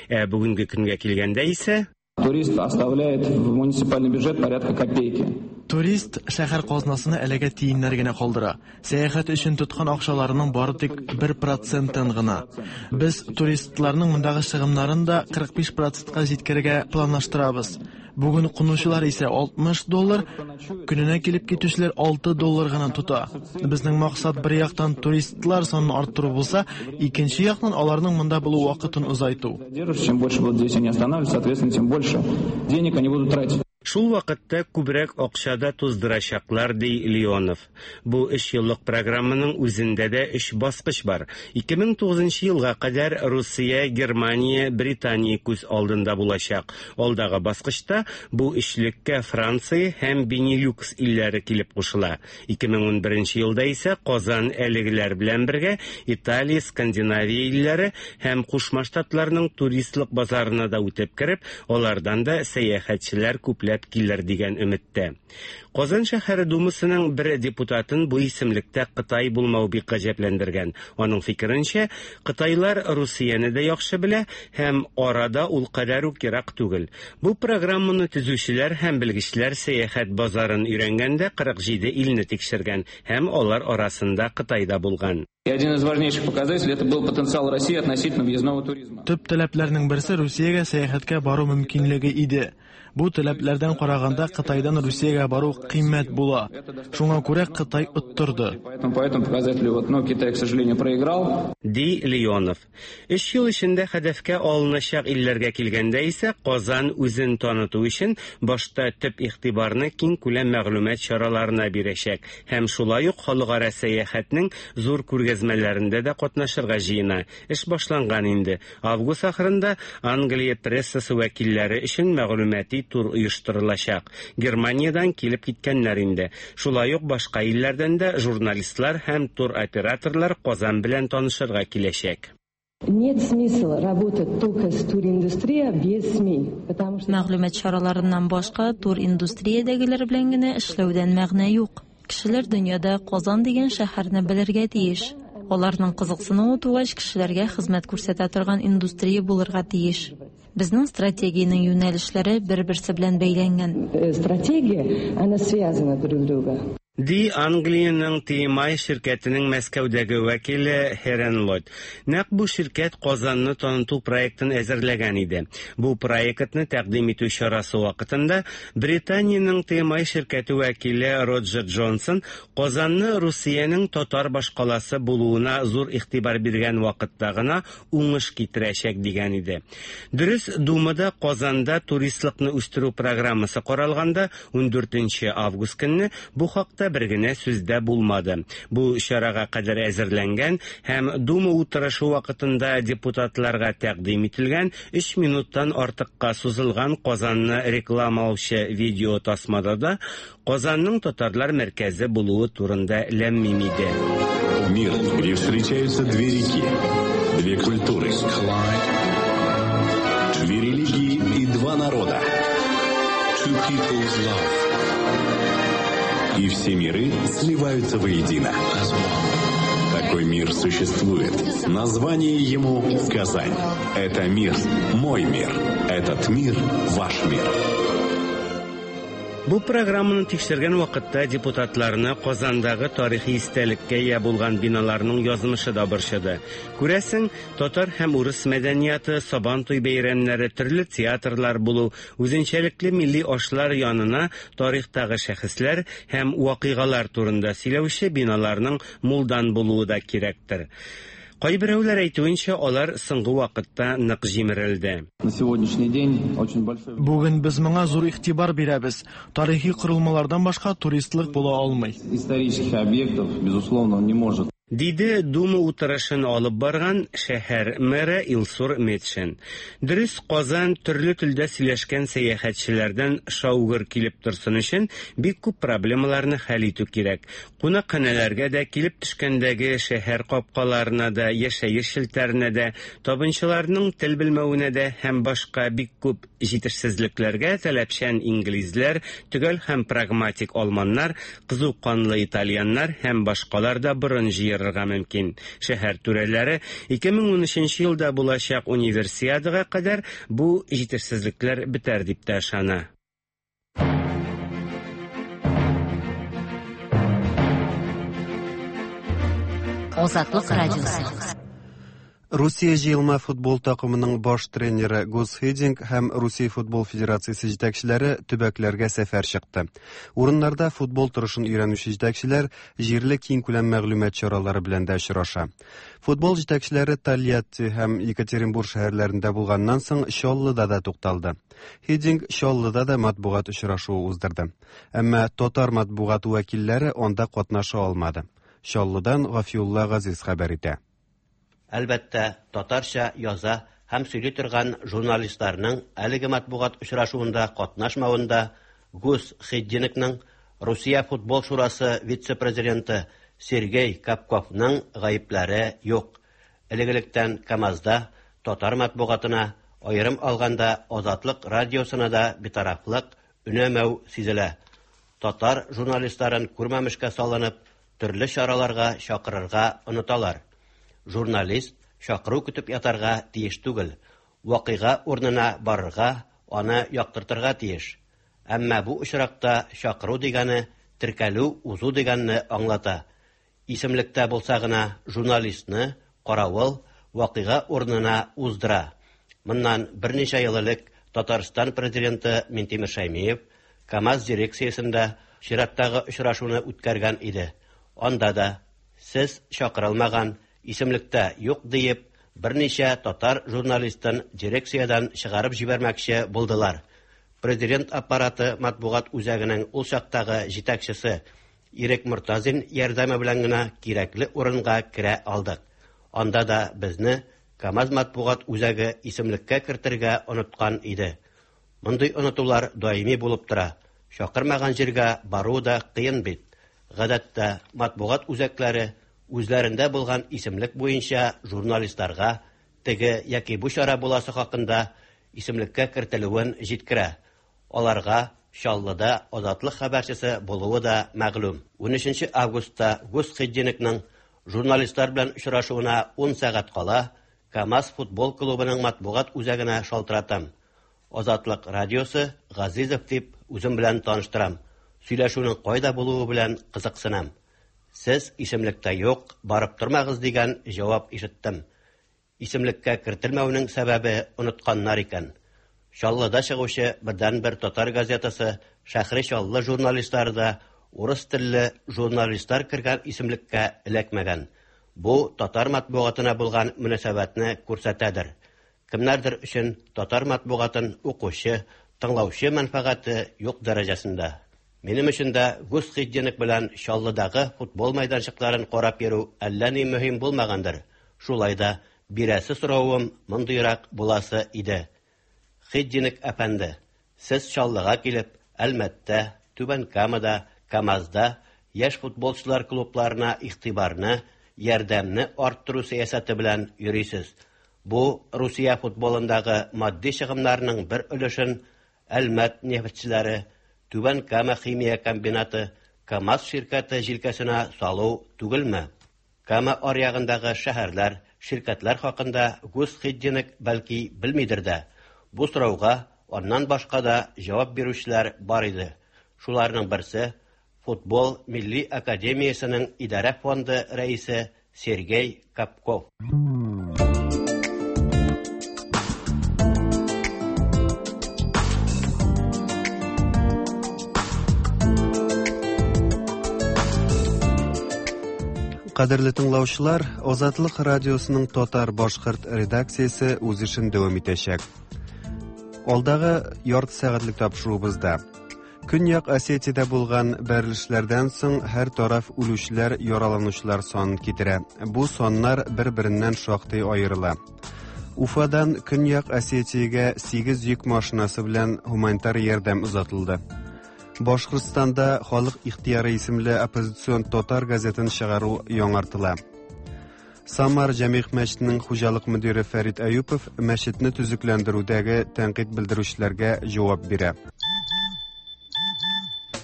Ә бүгенге көнгә килгәндә исә Турист оставляет в муниципальный бюджет порядка копейки. Турист шәһәр казнасына әлегә тиеннәр генә калдыра. Сәяхәт өчен тоткан акчаларының бары тик бер процентын гына. Без туристларның мондагы чыгымнарын да кырык биш процентка җиткерергә планлаштырабыз. Бүген кунучылар исә алтмыш доллар, көненә килеп китүчеләр алты доллар гына тота. Безнең максат бер яктан туристлар санын арттыру булса, икенче яктан аларның монда булу вакытын озайту. Чем больше будут здесь они останавливаться, соответственно, тем больше денег они будут тратить. Шул вакытта күбрәк акча да туздырачаклар, ди Леонов. Бу өч еллык программаның үзендә дә өч баскыч бар. ике мең тугызынчы елга кадәр Русия, Германия, Британия күз алдында булачак. Алдагы баскычта бу өчлеккә Франция һәм Бенилюкс илләре килеп кушыла. ике мең унберенче елда исә Казан әлегеләр белән бергә Италия, Скандинавия илләре һәм Кушма Штатларның туристлык базарына да үтеп кереп, алардан да сәяхәтчеләр күпләп килер дигән өметтә. Казан шәһәре думасының бер депутатын бу исемлектә Кытай булмау бик гаҗәпләндергән. Аның фикеренчә, Кытайлар Русияне дә яхшы белә һәм арада ул кадәр үк ерак түгел. Бу программаны төзүчеләр һәм белгечләр сәяхәт базарын өйрәнгәндә кырык җиде илне тикшергән һәм алар арасында Кытай да булган. И один из важнейших показателей это был потенциал России относительно въездного туризма. Төп таләпләрнең берсе Русиягә сәяхәткә бару мөмкинлеге иде. Бу таләпләрдән караганда Кытайдан Русиягә бару кыйммәт була. Шуңа күрә Кытай оттырды. Поэтому по этому показателю вот, но Китай, к сожалению, проиграл. Ди Леонов. Өч ел эчендә хәдәфкә алыначак илләргә килгәндә исә Казан үзен таныту өчен башта төп игътибарны киң күләм мәгълүмат чараларына бирәчәк һәм шулай ук халыкара сәяхәтнең зур күргәзмәләрендә дә катнашырга җыена. Эш башланган инде. Август ахырында Англия прессасы вәкилләре өчен мәгълүмати тур оештырылачак. Германиядән килеп киткәннәр инде. Шулай ук башка илләрдән дә журналистлар һәм туроператорлар Казан белән танышырга киләчәк. Нет смысла работать только с туриндустрия без СМИ, потому что Мәгълүмат чараларыннан башка туриндустриядәгеләр белән генә эшләүдән мәгънә юк. Кешеләр дөньяда Казан дигән шәһәрне белергә тиеш. Аларның кызыксынуы тугач, кешеләргә хезмәт күрсәтә торган индустрия булырга тиеш. Безнең стратегиянең юнәлешләре бер-берсе белән бәйләнгән. Стратегия, она связана друг с другом. Ди Англиянең Т М I ширкәтенең Мәскәүдәге вәкиле Херен Лойд. Нәкъ бу ширкәт Казанны таныту проектын әзерләгән иде. Бу проектны тәкъдим итү чарасы вакытында Британиянең Т М I ширкәте вәкиле Роджер Джонсон Казанны Русиянең татар башкаласы булуына зур игътибар биргән вакытта гына уңыш китерәчәк дигән иде. Дөрес, Думада Казанда туристлыкны үстерү программасы каралганда ун дүртенче август көнне бу хакта бер генә сүз дә булмады. Бу чарага кадәр әзерләнгән һәм Дума утырышы вакытында депутатларга тәкъдим ителгән өч минуттан артыкка сузылган Казанны рекламалаучы видео тасмада да Казанның татарлар мәркәзе булуы турында ләм-мим иде. Мир, где встречаются две реки, две культуры, две религии и два народа. Two people's love. И все миры сливаются воедино. Такой мир существует. Название ему Казань. Это мир, мой мир. Этот мир, ваш мир. Бу программаны тикшергән вакытта депутатларны Казандагы тарихи истәлеккә ия булган биналарның язмышы да борчыды. Күрәсең, татар һәм урыс мәдәнияты, Сабантуй бәйрәмнәре, төрле театрлар булу, үзенчәлекле милли ашлар янына тарихтагы шәхесләр һәм вакыйгалар турында сөйләүче биналарның мулдан булуы да кирәктер. Кайберәүләр әйтүенчә, алар соңгы вакытта нык җимерелде. На сегодняшний день очень большой Бүген без моңа зур игътибар бирәбез. Тарихи корылмалардан башка туристлык була алмый. Исторических объектов, безусловно, он не может. Диде Дума утырышын алып барган шәһәр мэры Илсур Метшин. Дөрес, Казан төрле телдә сөйләшкән сәяхәтчеләрдән шаугыр килеп торсын өчен бик күп проблемаларны хәл итү кирәк. Кунакханәләргә дә, килеп төшкәндәге шәһәр капкаларына да, яшәеш челтәренә дә, табынчыларның тел белмәвенә дә һәм башка бик күп җитешсезлекләргә таләпчән инглизләр, төгәл һәм прагматик алманнар, кызу канлы итальяннар һәм башкалар да борын җыер мөмкин. Шәһәр түрәләре ике мең унөченче елда булачак универсиадага кадәр бу җитешсезлекләр бетәр дип тә ышана. Азатлык радиосы. Русия җыелма футбол такымының баш тренеры Гус Хиддинк һәм Русия футбол федерациясе җитәкчеләре төбәкләргә сәфәр чыкты. Урыннарда футбол торышын өйрәнүче җитәкчеләр җирле киңкүләм мәгълүмат чаралары белән дә очраша. Футбол җитәкчеләре Тольятти һәм Екатеринбург шәһәрләрендә булганнан соң Чаллыда да тукталды. Хиддинк Чаллыда да матбугат очрашуы уздырды. Әмма татар матбугаты вәкилләре анда катнаша алмады. Чаллыдан Гафиулла Газиз хәбәр итә. Әлбәттә, татарча яза һәм сөйли торган журналистларның әлеге матбугат очрашуында катнашмавында Гус Хиддинкның Русия футбол шурасы вице-президенты Сергей Капковның гаепләре юк. Элек-электән КАМАЗда татар матбугатына, аерым алганда Азатлык радиосына да битарафлык, өнәмәү сизелә. Татар журналистларын күрмәмешкә салынып, төрле чараларга чакырырга оныталар. Журналист чакыру көтеп ятарга тиеш түгел, вакыйга урынына барырга, аны яктыртырга тиеш. Әмма бу очракта чакыру дигәне теркәлү узу дигәнне аңлата. Исемлектә булса гына журналистны каравыл вакыйга урынына уздыра. Моннан берничә ел элек Татарстан президенты Минтимер Шәймиев КАМАЗ дирекциясендә чираттагы очрашуны үткәргән иде. Анда да сез чакырылмаган, исемлектә юк диеп, берничә татар журналистын дирекциядән чыгарып җибәрмәкче булдылар. Президент аппараты матбугат үзәгенең ул чактагы җитәкчесе Ирек Мортазин ярдәме белән генә кирәкле урынга керә алдык. Анда да безне КАМАЗ матбугат үзәге исемлеккә кертергә оныткан иде. Мондый онытулар даими булып тора. Чакырмаган җиргә бару да кыен бит. Гадәттә матбугат үзәкләре үзләрендә булган исемлек буенча журналистларга теге яки бу чара буласы хакында исемлеккә кертелүен җиткерә. Аларга Чаллыда Азатлык хәбәрчесе булуы да мәгълүм. Унөченче августта Гус Хиддинкның журналистлар белән очрашуына ун сәгать кала КАМАЗ футбол клубының матбугат үзәгенә шалтыратам. Азатлык радиосы Газизов дип үзем белән таныштырам. Сөйләшүнең кайда булуы белән кызыксынам. Сез исемлектә юк, барып тормагыз дигән җавап ишеттем. Исемлеккә кертелмәүнең сәбәбе онытканнар икән. Чаллыда чыгучы бердәнбер татар газетасы Шәһри Чаллы журналистлары да урыс телле журналистлар кергән исемлеккә эләкмәгән. Бу татар матбугатына булган мөнәсәбәтне күрсәтәдер. Кемнәрдер өчен татар матбугатын укучы, тыңлаучы мәнфәгате юк дәрәҗәсендә. Минем өчен дә Гус Хиддинк белән Чаллыдагы футбол мәйданчыкларын карап йөрү әллә ни мөһим булмагандыр. Шулай да бирәсе соравым мондыйрак буласы иде. Хиддинк әфәнде, сез Чаллыга килеп, Әлмәттә, Түбән Камада, КАМАЗда яшь футболчылар клубларына игътибарны, ярдәмне арттыру сәясәте белән йөрисез. Бу Русия футболындагы матди чыгымнарның бер өлешен Әлмәт нефтьчеләре, Түбән Кама химия комбинаты, КАМАЗ ширкәте җилкәсенә салу түгелме? Кама аръягындагы шәһәрләр, ширкәтләр хакында Гус Хиддинк бәлки белмидер дә. Бу сорауга аннан башка да җавап бирүчеләр бар иде. Шуларның берсе Футбол милли академиясенең идарә фонды рәисе Сергей Капков. Кадерле тыңлаучылар, Азатлык радиосының татар-башкорт редакциясе үз эшен дәвам итәчәк. Алдагы ярты сәгатьлек тапшыруыбызда Көньяк Осетиядә булган бәрелешләрдән соң һәр тараф үлүчеләр, яраланучылар санын китерә. Бу саннар бер-береннән шактый аерыла. Уфадан Көньяк Осетиягә сигез йөк машинасы белән гуманитар ярдәм озатылды. Башкортстанда Халык ихтыяры исемле оппозицион татар газетын чыгару яңартыла. Самар Җәмигъ мәчетенең хуҗалык мөдире Фәрит Әюпов мәчетне төзекләндерүдәге тәнкыйть белдерүчеләргә җавап бирә.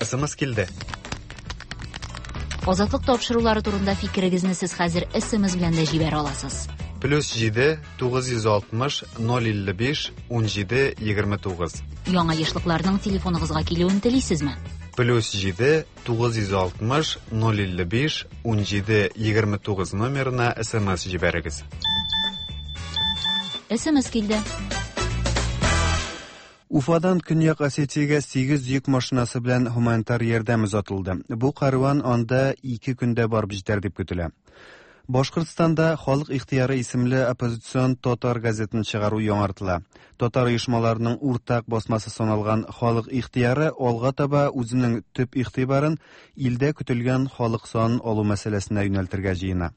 СМС килде. Азатлык тапшырулары турында фикерегезне сез хәзер СМС белән дә җибәрә аласыз. Плюс җиде тугыз йөз алтмыш ноль илле биш ун җиде егерме тугыз. Яңа ешлыкларның телефоныгызга килүен телисезме? Плюс җиде тугыз йөз алтмыш ноль илле биш ун җиде егерме тугыз номерына СМС җибәрегез. СМС килде. Уфадан Көньяк Осетиягә сигез йөк машинасы белән гуманитар ярдәм озатылды. Бу караван анда ике көндә барып җитәр дип көтелә. Башкортстанда Халык ихтыяры исемле оппозицион татар газетын чыгару яңартыла. Татар оешмаларының уртак басмасы саналган Халык ихтыяры алга таба үзенең төп игътибарын илдә көтелгән халык санын алу мәсьәләсенә юнәлтергә җыена.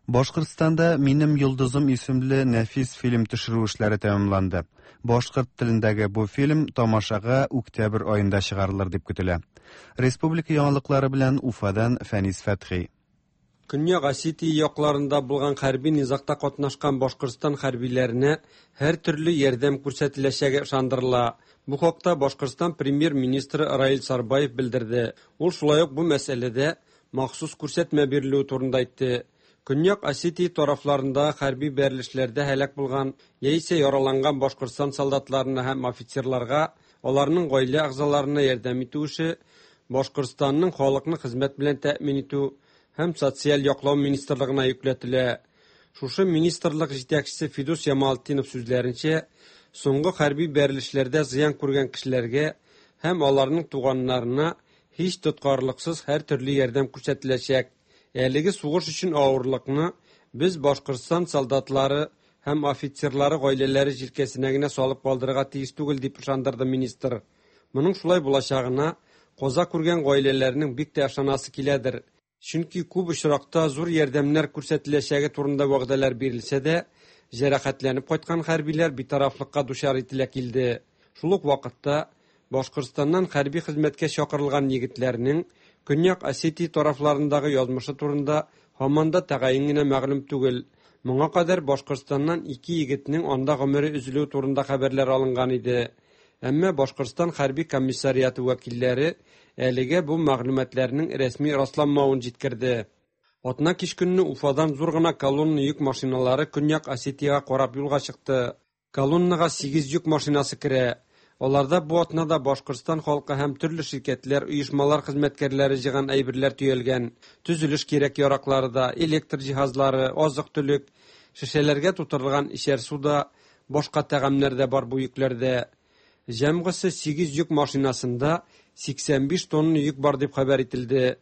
Башкортстанда Минем йолдызым исемле нәфис фильм төшерү эшләре тәмамланды. Башкорт телендәге бу фильм тамашага октябрь аенда чыгарылыр дип көтелә. Республика яңалыклары белән Уфадан Фәнис Фәтхи. Көньяк Осетия якларында булган хәрби низагта катнашкан Башкортстан хәрбиләренә һәр төрле ярдәм күрсәтеләчәге ышандырыла. Бу хакта Башкортстан премьер-министры Раил Сарбаев белдерде. Ул шулай ук бу мәсьәләдә махсус күрсәтмә бирелүе турында әйтте. Көньяк Осетия тарафларында хәрби бәрелешләрдә һәлак булган яисә яраланган Башкортстан солдатларына һәм офицерларга, аларның гаилә әгъзаларына ярдәм итү эше Башкортстанның халыкны хезмәт белән тәэмин итү һәм социаль яклау министрлыгына йөкләтелә. Шушы министрлык җитәкчесе Фидус Ямалтдинов сүзләренчә, соңгы хәрби бәрелешләрдә зыян күргән кешеләргә һәм аларның туганнарына һич тоткарлыксыз һәр төрле ярдәм күрсәтеләчәк. Әлеге сугыш өчен авырлыкны без Башкортстан солдатлары һәм офицерлары гаиләләре җилкәсенә генә салып калдырырга тиеш түгел, дип ышандырды министр. Моның шулай булачагына каза күргән гаиләләрнең бик тә ышанасы киләдер. Чөнки күп очракта зур ярдәмнәр күрсәтеләчәге турында вәгъдәләр бирелсә дә, җәрәхәтләнеп кайткан хәрбиләр битарафлыкка дучар ителә килде. Шул ук вакытта Башкортстаннан хәрби хезмәткә чакырылган егетләрнең Көньяк Осетия тарафларындагы язмышы турында һаман да тәгаен генә мәгълүм түгел. Моңа кадәр Башкортстаннан ике егетнең анда гомере өзелүе турында хәбәрләр алынган иде. Әмма Башкортстан хәрби комиссариаты вәкилләре әлегә бу мәгълүматларның рәсми расланмавын җиткерде. Атна кич көнне Уфадан зур гына колонна йөк машиналары Көньяк Осетиягә карап юлга чыкты. Колоннага сигез йөк машинасы керә. Аларда бу атнада Башкортстан халкы һәм төрле ширкәтләр, оешмалар хезмәткәрләре җыйган әйберләр төялгән. Төзелеш кирәк-яраклары да, электр җиһазлары, азык-төлек, шешәләргә тутырылган эчәр су да, башка тәгамнәр дә бар бу йөкләрдә. Җәмгысе сигез йөк машинасында сиксән биш тонна йөк бар дип хәбәр ителде.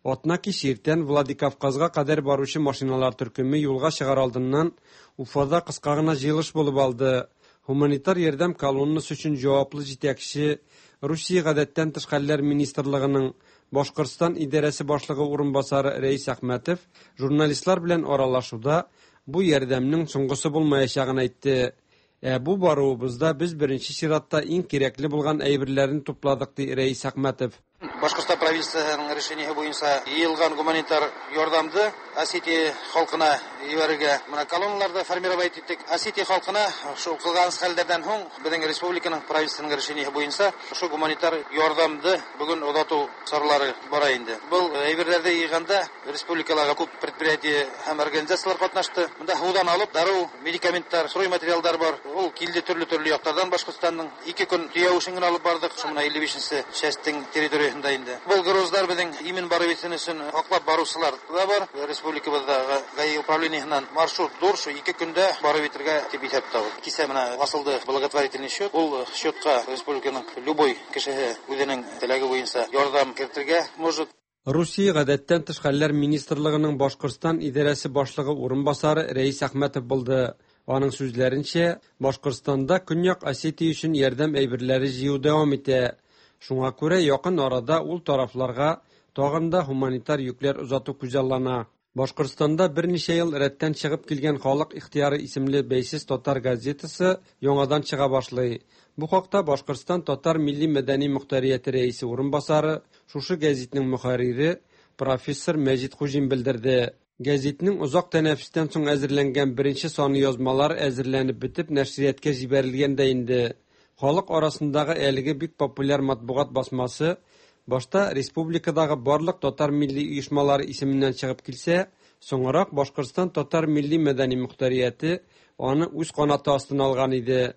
Атна кич иртән Владикавказга кадәр баручы машиналар төркеме юлга чыгар алдыннан Уфада кыска гына җыелыш булып алды. Гуманитар ярдәм колоннасы өчен җаваплы җитәкче Русия гадәттән тыш хәлләр министрлыгының Башкортстан идарәсе башлыгы урынбасары Рәис Әхмәтов журналистлар белән аралашуда бу ярдәмнең соңгысы булмаячагын әйтте. Ә бу баруыбызда без беренче чиратта иң кирәкле булган әйберләрне тупладык, ди Рәис Әхмәтов. Башкортстан правительствоның решение буенча йыелган гуманитар ярдәмне Осетия халкына җибәрергә менә колонналарда формировать иттек. Осетия халкына шул кылган хәлләрдән һуң безнең республиканың правительствоның решение буенча шул гуманитар ярдәмне бүген озату чаралары бара инде. Бу әйберләрне йыйганда республикаларга күп предприятие һәм организацияләр катнашты. Монда һудан алып дару, медикаментлар, стройматериалдар бар. Ул килде төрле-төрле яклардан Башкортстанның ике көн төяү эшен генә алып бардык. Шул менә илле бишенче частьтең территориясендә инде. Был грузлар безнең имин барып җитсен өчен аклап баручылар да бар. Республикабыздагы ГАИ управлениесеннән маршрут зур, шу ике көндә барып җитәргә дип исәп тотабыз. Кисә менә асылды благотворительный счет. Ул счетка республиканың любой кешесе үзенең теләге буенча ярдәм кертергә может. Русия гадәттән тыш хәлләр министрлыгының Башкортстан идарәсе башлыгы урынбасары Рәис Әхмәтов булды. Аның сүзләренчә, Башкортстанда Көньяк Осетия өчен ярдәм әйберләре җыю дәвам итә. Шуңа күрә якын арада ул тарафларга тагын да гуманитар йөкләр озату күзаллана. Башкортстанда берничә ел рәттән чыгып килгән Халык ихтыяры исемле бәйсез татар газетасы яңадан чыга башлый. Бу хакта Башкортстан татар милли мәдәни мөхтәрияте рәисе урынбасары, шушы гәзитнең мөхәррире профессор Мәҗит Хуҗин белдерде. Гәзитнең озак тәнәфестән соң әзерләнгән беренче саны язмалар әзерләнеп бетеп нәшриятка җибәрелгән дә инде. Халык арасындагы әлеге бик популяр матбугат басмасы башта республикадагы барлык татар милли оешмалары исеменнән чыгып килсә, соңрак Башкортстан татар милли мәдәни мөхтәрияте аны үз канаты астына алган иде.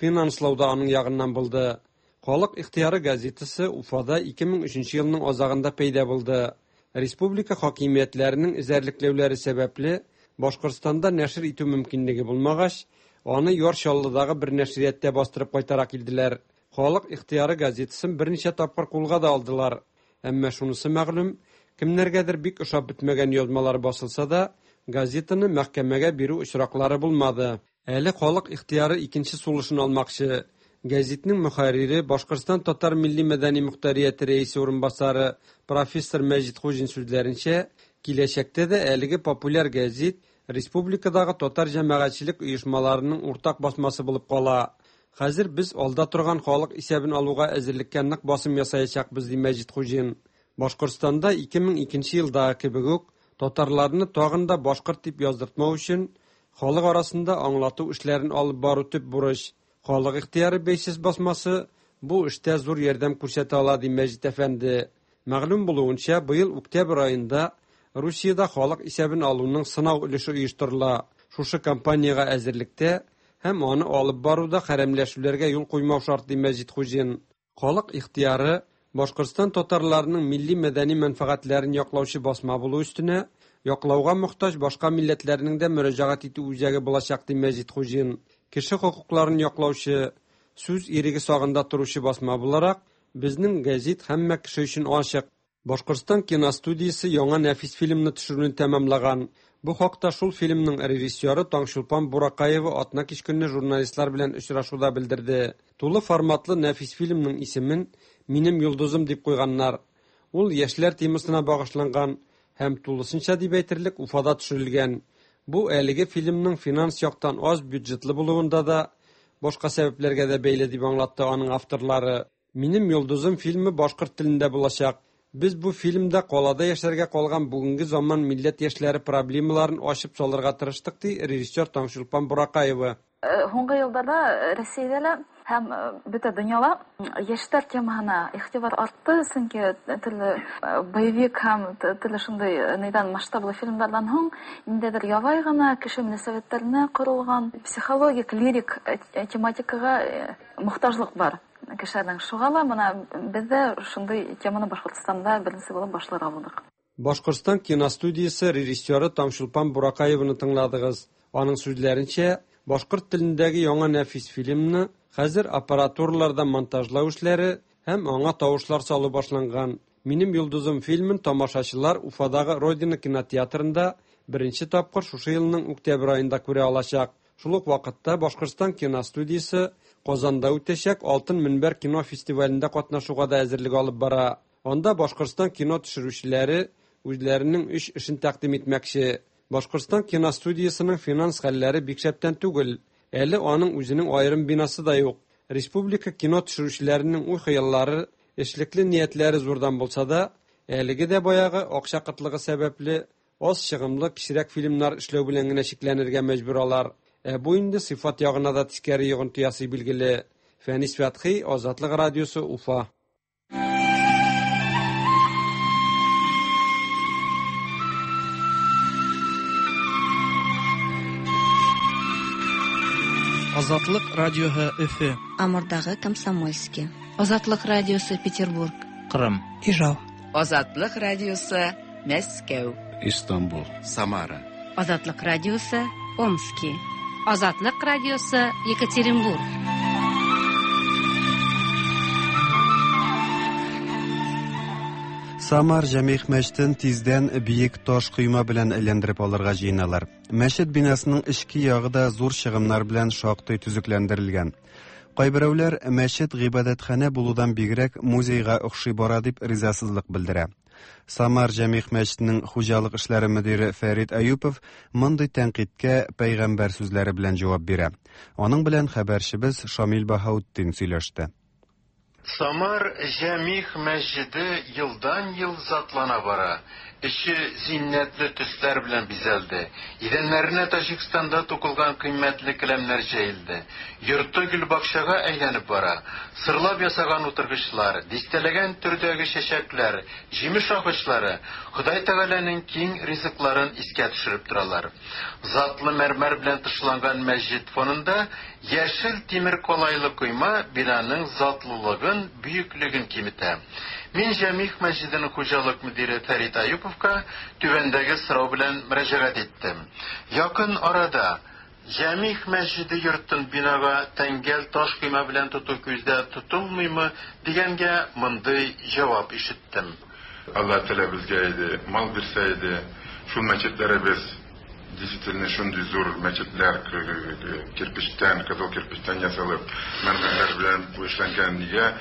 Финанслау да аның ягыннан булды. Халык ихтыяры газетасы Уфада ике мең өченче елның азагында пәйда булды. Республика хакимиятләренең эзәрлекләүләре сәбәпле Башкортстанда нәшер итү мөмкинлеге булмагач, аны Яр Чаллыдагы бер нәшрияттә бастырып кайтара килделәр. Халык ихтыяры газетасын берничә тапкыр кулга да алдылар. Әмма шунысы мәгълүм, кемнәргәдер бик ошап бетмәгән язмалар басылса да, газетаны мәхкәмәгә бирү очраклары булмады. Әле Халык ихтыяры икенче сулышын алмакчы. Гәзитнең мөхәррире Башкортстан татар милли мәдәни мөхтәрияте рәисе урынбасары профессор Мәҗит Хуҗин сүзләренчә, киләчәктә дә әлеге популяр гәзит республикадагы татар җәмәгатьчелек оешмаларының уртак басмасы булып кала. Хәзер без алда торган халык исәбен алуга әзерлеккә нык басым ясаячакбыз, ди Мәҗит Хуҗин. Башкортстанда ике мең икенче елдагы кебек үк татарларны тагын да башкорт дип яздыртмау өчен халык арасында аңлату эшләрен алып бару төп бурыч. Халык ихтыяры бәйсез басмасы бу эштә зур ярдәм күрсәтә ала, ди Мәҗит әфәнде. Мәгълүм булуынча, быел октябрь аенда Русиядә халык исәбен алуның сынау өлеше оештырыла. Шушы кампаниягә әзерлектә һәм аны алып баруда хәрәмләшүләргә юл куймау шарт, ди Мәҗит Хуҗин. Халык ихтыяры Башкортстан татарларының милли мәдәни мәнфәгатьләрен яклаучы басма булу өстенә яклауга мохтаҗ башка милләтләрнең дә мөрәҗәгать итү үзәге булачак, ди Мәҗит Хуҗин. Кеше хокукларын яклаучы, сүз иреге сагында торучы басма буларак, безнең гәзит һәммә кеше өчен ачык. Башкортстан киностудиясе яңа нәфис фильмны төшерүне тәмамлаган. Бу хакта шул фильмның режиссеры Таңчулпан Буракаева атна кич көнне журналистлар белән очрашуда белдерде. Тулы форматлы нәфис фильмның исемен «Минем йолдызым» дип куйганнар. Ул яшьләр темасына багышланган һәм тулысынча дип әйтерлек Уфада төшерелгән. Бу әлеге фильмның финанс яктан аз бюджетлы булуында да, башка сәбәпләргә дә бәйле дип аңлатты аның авторлары. «Минем йолдызым» фильмы башкорт телендә булачак. Без бу фильмда калада яшәргә калган бүгенге заман милләт яшьләре проблемаларын ачып салырга тырыштык, ди режиссер Таңчулпан Буракаева. Һуңгы елларда Россиядә лә һәм бөтә дөньяла яшьләр темаһына игътибар артты, чөнки төрле боевик һәм төрле шундый нидән масштаблы фильмнардан һуң ниндәйдер ябай гына кеше мөнәсәбәтләренә корылган психологик, лирик тематикага мохтаҗлык бар кешеләрнең. Шуңа ла менә без дә шундый теманы Башкортстанда беренче булып башларга булдык. Башкортстан киностудиясе режиссеры Таңчулпан Буракаеваны тыңладыгыз. Аның сүзләренчә, башкорт телендәге яңа нәфис фильмны хәзер аппаратураларда монтажлау эшләре һәм аңа тавышлар салу башланган. Минем йолдызым фильмын тамашачылар Уфадагы Родина кинотеатрында беренче тапкыр шушы елның октябрь аенда күрә алачак. Шул ук вакытта Башкортстан киностудиясе Казанда үтәчәк Алтын Мөнбәр кино фестивалендә катнашуга да әзерлек алып бара. Анда Башкортстан кино төшерүчеләре үзләренең өч эшен тәкъдим итмәкче. Башкортстан киностудиясенең финанс хәлләре бик шәптән түгел. Әле аның үзенең аерым бинасы да юк. Республика кино төшерүчеләренең уй-хыяллары, эшлекле ниятләре зурдан булса да, әлеге дә баягы акча кытлыгы сәбәпле аз чыгымлы кечерәк фильмнар эшләү белән генә чикләнергә мәҗбүр алар. Ә бу инде сыйфат ягына да тискәре йогынты ясый билгеле. Фәнис Фәтхи, Азатлык радиосы, Уфа. Азатлык радиоһы Өфө. Амурдагы Комсомольский. Азатлык радиосы Петербург. Кырым. Ижау. Азатлык радиосы Мәскәү. Истанбул. Самара. Азатлык радиосы Омски. Азатлык радиосы Екатеринбург. Самар Җәмигъ мәчетен тиздән биек таш койма белән әйләндереп алырга җыеналар. Мәчет бинасының эчке ягы да зур чыгымнар белән шактый төзекләндерелгән. Кайберәүләр мәчет гыйбадәтханә булудан бигрәк музейга охшый бара дип ризасызлык белдерә. Самар Җәмигъ мәчетенең хуҗалык эшләре мөдире Фәрит Аюпов мондый тәнкыйтькә пәйгамбәр сүзләре белән җавап бирә. Аның белән хәбәрчебез Шамил Баһаутдин сөйләште. Самар Җәмигъ мәчете елдан-ел затлана бара. Эче зиннәтле төсләр белән бизәлде. Идәннәренә Таҗикстанда тукылган кыйммәтле келәмнәр җәелде. Йорты гөлбакчага әйләнеп бара. Сырлап ясаган утыргычлар, дистәләгән төрдәге чәчәкләр, җимеш агачлары Ходай Тәгаләнең киң ризыкларын искә төшереп торалар. Затлы мәрмәр белән тышланган мәчет фонында яшел тимер калайлы койма бинаның затлылыгын, бөеклеген киметә. Мин Җәмигъ мәчетенең хуҗалык мөдире Фәрит Аюповка түбәндәге сорау белән мөрәҗәгать иттем. Якын арада Җәмигъ мәчете йортын бинага тәңгәл таш койма белән тоту күздә тотылмыймы дигәнгә мондый җавап ишеттем. Алла Тәгалә безгә иде, мал бирсә иде, шул мәчетләребез действительно шундый зур мәчетләр кирпичтән, кызыл кирпичтән ясалып, мәрмәрләр белән эшләнгән, нигә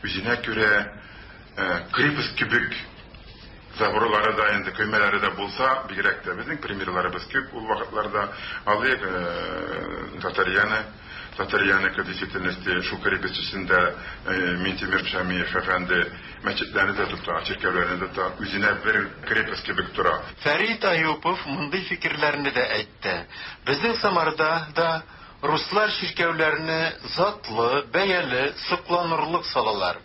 үзенә күрә крепость кебек заборлары да инде көймәләре дә булса, бигрәк тә безнең примерларыбыз күп ул вакытларда. Алыйк Татарьяны, Татарьяныкы действительности шул крепость эчендә Минтимер Шәмиев әфәнде мәчетләрне дә тота, чиркәүләрне дә тота, үзенә бер крепость кебек тора. Фәрит Аюпов мондый фикерләрне дә әйтте. Безнең Самарда да руслар чиркәүләрне затлы, бәяле, сокланырлык салалар.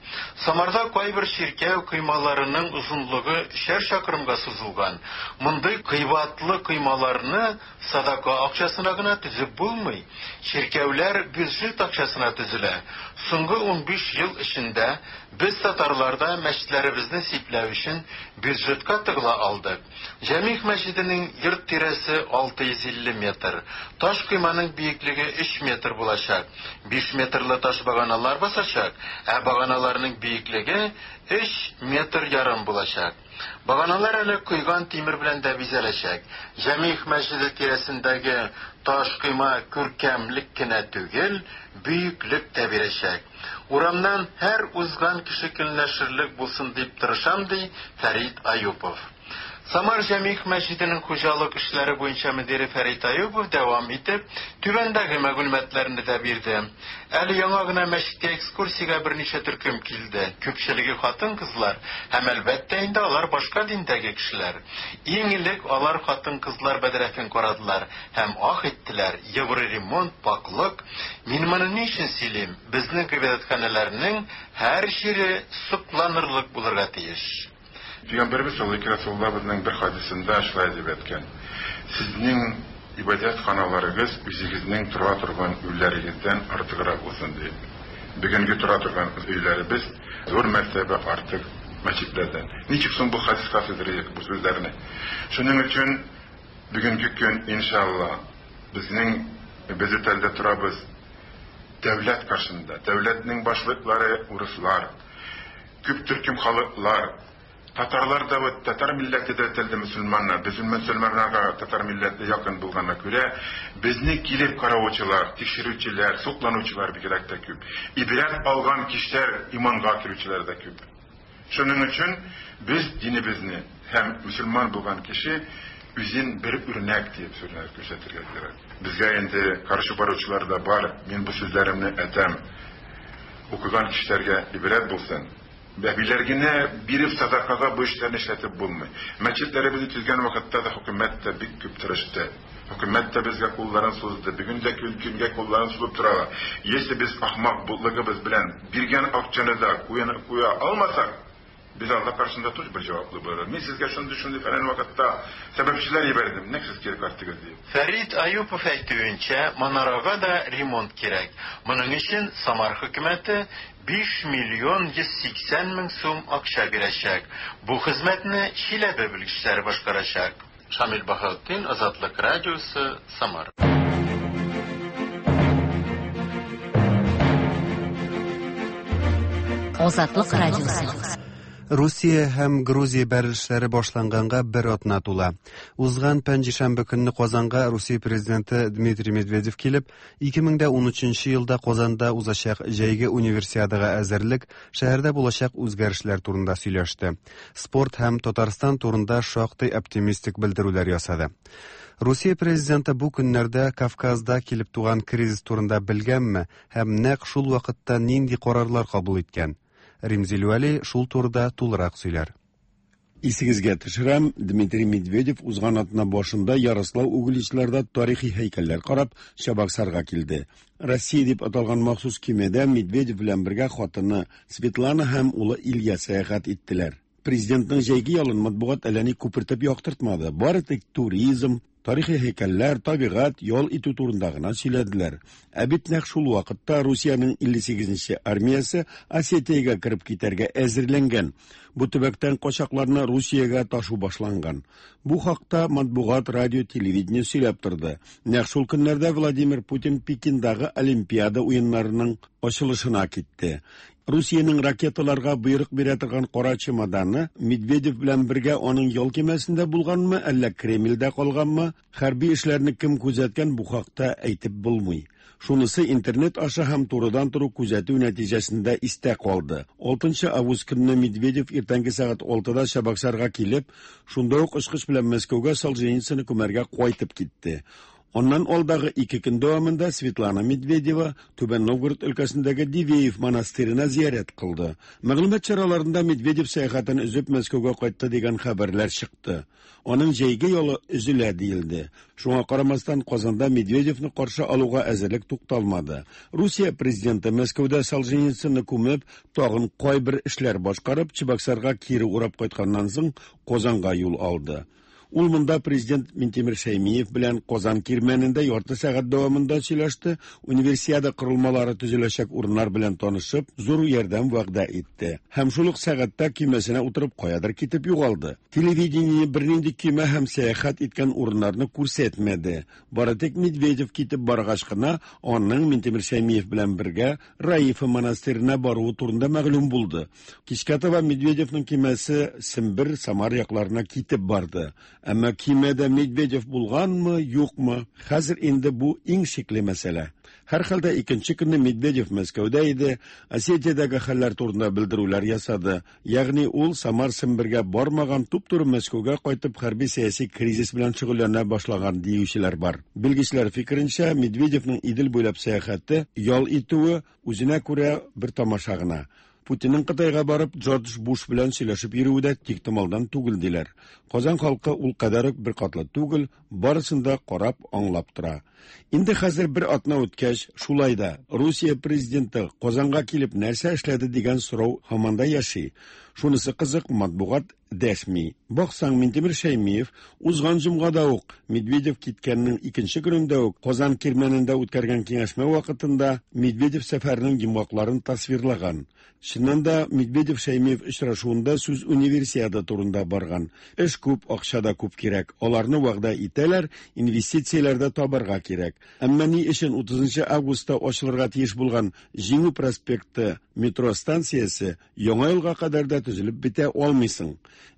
Самарда кайбер чиркәү коймаларының озынлыгы өчәр чакрымга сузылган. Мондый кыйбатлы коймаларны садака акчасына гына төзеп булмый. Чиркәүләр бюджет акчасына төзелә. Соңгы унбиш ел эчендә без татарларда мәчетләребезне сипләү өчен бюджетка тыгыла алдык. Җәмигъ мәчетенең йорт тирәсе алты йөз илле метр. Таш койманың биеклеге өч метр булачак. Биш метрлы таш баганалар басачак, ә баганаларның биеклеге өч метр ярым булачак. Баганалар әле койган тимер белән дә бизәләчәк. Җәмигъ мәчете тирәсендәге таш койма күркәмлек кенә түгел, бөеклек тә бирәчәк. Урамнан һәр узган кеше көнләшерлек булсын дип тырышам, ди Фәрит Аюпов. Самар Җәмигъ мәчетенең хуҗалык эшләре буенча мөдире Фәрит Аюпов дәвам итеп, түбәндәге мәгълүматларны да бирде. Әле яңа гына мәчеткә экскурсиягә берничә төркем килде. Күпчелеге хатын-кызлар һәм әлбәттә инде алар башка диндәге кешеләр. Иң элек алар хатын-кызлар бәдрәфен карадылар һәм ах иттеләр. Евроремонт, пакълык. Мин моны ни өчен сөйлим? Безнең гыйбадәтханәләрнең һәр җире сокланырлык булырга тиеш. Пәйгамбәребез саллаллаһу алейһи бер хадисендә шулай дип әйткән: "Сезнең ибадәтханаларыгыз үзегезнең тора торган өйләрегездән артыграк булсын" дип. Бүгенге тора торган өйләребез зур мәртәбә артык мәчетләрдән. Ничек соң бу хадиска сыйдырыйк бу сүзләрне? Шуның өчен бүгенге көн иншалла безнең без үтәлдә торабыз дәүләт каршында. Дәүләтнең башлыклары урыслар, күп төркем халыклар, татарлар да вот татар милләте дә телде мөселманнар, без мөселманнарга татар милләте якын булганга күрә, безне килеп караучылар, тикшерүчеләр, сокланучылар бигрәк тә күп. Ибрәт алган кешеләр, иманга керүчеләр дә күп. Шуның өчен без динебезне һәм мөселман булган кеше үзен бер үрнәк дип сүзләр күрсәтергә кирәк. Безгә инде каршы баручылар да бар. Мин бу сүзләремне әйтәм. Укыган кешеләргә ибрәт булсын. Бәбиләр генә биреп садакага бу эшләрне эшләтеп булмый. Мәчетләребезне төзгән вакытта да хөкүмәт тә бик күп тырышты. Хөкүмәт тә безгә кулларын сузды. Бүген дә көнгә кулларын сузып торалар. Если без ахмак бутлыгыбыз белән биргән акчаны да куя алмасак, без Алла каршында тоже бер җаваплы булырбыз. Мин сезгә шундый шундый фәлән вакытта сәбәпчеләр җибәрдем, нәкъ сез кире кайттыгыз дип. Фәрит Аюпов әйтүенчә, манарага да ремонт кирәк. Моның өчен Самар хөкүмәте биш миллион йөз сиксән мең сум акча бирәчәк. Бу хезмәтне Чиләбе белгечләре башкарачак. Шамил Баһаутдин, Азатлык радиосы, Самар. Азатлык радиосы. Русия һәм Грузия бәрелешләре башланганга бер атна тула. Узган пәнҗешәмбе көнне Казанга Русия президенты Дмитрий Медведев килеп, ике мең дә унөченче елда Казанда узачак җәйге универсиадага әзерлек, шәһәрдә булачак үзгәрешләр турында сөйләште. Спорт һәм Татарстан турында шактый оптимистик белдерүләр ясады. Русия президенты бу көннәрдә Кавказда килеп туган кризис турында белгәнме һәм нәкъ шул вакытта нинди карарлар кабул иткән? Римзил Вәли шул турыда тулырак сөйләр. Исегезгә төшерәм, Дмитрий Медведев узган атна башында Ярослав Угличларда тарихи һәйкәлләр карап Чабаксарга килде. Россия дип аталган махсус кимедә Медведев белән бергә хатыны Светлана һәм улы Илья сәяхәт иттеләр. Президентның җәйге ялын матбугат әллә ни күпертеп яктыртмады. Бары тик туризм, тарихи һәйкәлләр, табигать, ял итү турында гына сөйләделәр. Ә бит нәкъ шул вакытта Русиянең илле сигезенче армиясе Осетиягә кереп китәргә әзерләнгән. Бу төбәктән качакларны Русиягә ташу башланган. Бу хакта матбугат, радио, телевидение сөйләп торды. Нәкъ шул көннәрдә Владимир Путин Пекиндагы Олимпиада уеннарының ачылышына китте. Русиянең ракеталарга боерык бирә торган кара чемоданы Медведев белән бергә аның ял кимәсендә булганмы, әллә Кремльдә калганмы, хәрби эшләрне кем күзәткән, бу хакта әйтеп булмый. Шунысы интернет аша һәм турыдан туры күзәтү нәтиҗәсендә истә калды. алтынчы август көнне Медведев иртәнге сәгать алтыда Чабаксарга килеп, шунда ук очкыч белән Мәскәүгә Солженицынны күмәргә кайтып китте. Аннан алдагы ике көн дәвамында Светлана Медведева Түбән Новгород өлкәсендәге Дивеев монастырена зиярәт кылды. Мәгълүмат чараларында Медведев сәяхәтен өзеп Мәскәүгә кайтты дигән хәбәрләр чыкты. Аның җәйге ялы өзелә диелде. Шуңа карамастан Казанда Медведевны каршы алуга әзерлек тукталмады. Русия президенты Мәскәүдә Солженицынны күмеп, тагын кайбер эшләр башкарып, Чабаксарга кире урап кайтканнан соң Казанга юл алды. Ул монда президент Минтимер Шәймиев белән Казан кирмәнендә ярты сәгать дәвамында сөйләште, универсиада корылмалары төзеләчәк урыннар белән танышып, зур ярдәм вәгъдә итте. Һәм шул ук сәгатьтә көймәсенә утырып каядыр китеп югалды. Телевидение бернинди көймә һәм сәяхәт иткән урыннарны күрсәтмәде. Бары тик Медведев китеп баргач кына аның Минтимер Шәймиев белән бергә Раифа монастырена баруы турында мәгълүм булды. Кичкә таба Медведевның көймәсе Сембер, Самар якларына китеп барды. Әмма кимәдә Медведев булганмы, юкмы? Хәзер инде бу иң шикле мәсьәлә. Һәрхәлдә икенче көнне Медведев Мәскәүдә иде, Осетиядәге хәлләр турында белдерүләр ясады. Ягъни ул Самар Сембергә бармаган, туп-туры Мәскәүгә кайтып хәрби сәяси кризис белән шөгыльләнә башлаган диючеләр бар. Белгечләр фикеренчә, Медведевның Идел буйлап сәяхәте, ял итүе үзенә күрә бер тамаша гына. Путинның Кытайга барып Джордж Буш белән сөйләшеп йөрүе дә тиктомалдан түгел диләр. Казан халкы ул кадәр үк беркатлы түгел, барысын да карап, аңлап тора. Инде хәзер бер атна үткәч, шулай да Русия президенты Казанга килеп нәрсә эшләде дигән сорау һаман да яши. Шунысы кызык, матбугат дәшми. Баксаң, Минтимер Шәймиев узган җомгада ук Медведев киткәннең икенче көнендә үк Казан Кирмәнендә үткәргән киңәшмә вакытында Медведев сәфәренең йомгакларын тасвирлаган. Чыннан да Медведев Шәймиев очрашуында сүз универсиада турында барган. Эш күп, акча да күп кирәк. Аларны вәгъдә итәләр, инвестицияләр дә табарга кирәк. Әмма ни өчен утызынчы августта ачылырга тиеш булган Җиңү проспекты метро станциясе яңа елга кадәр дә төзелеп бетә алмыйсың?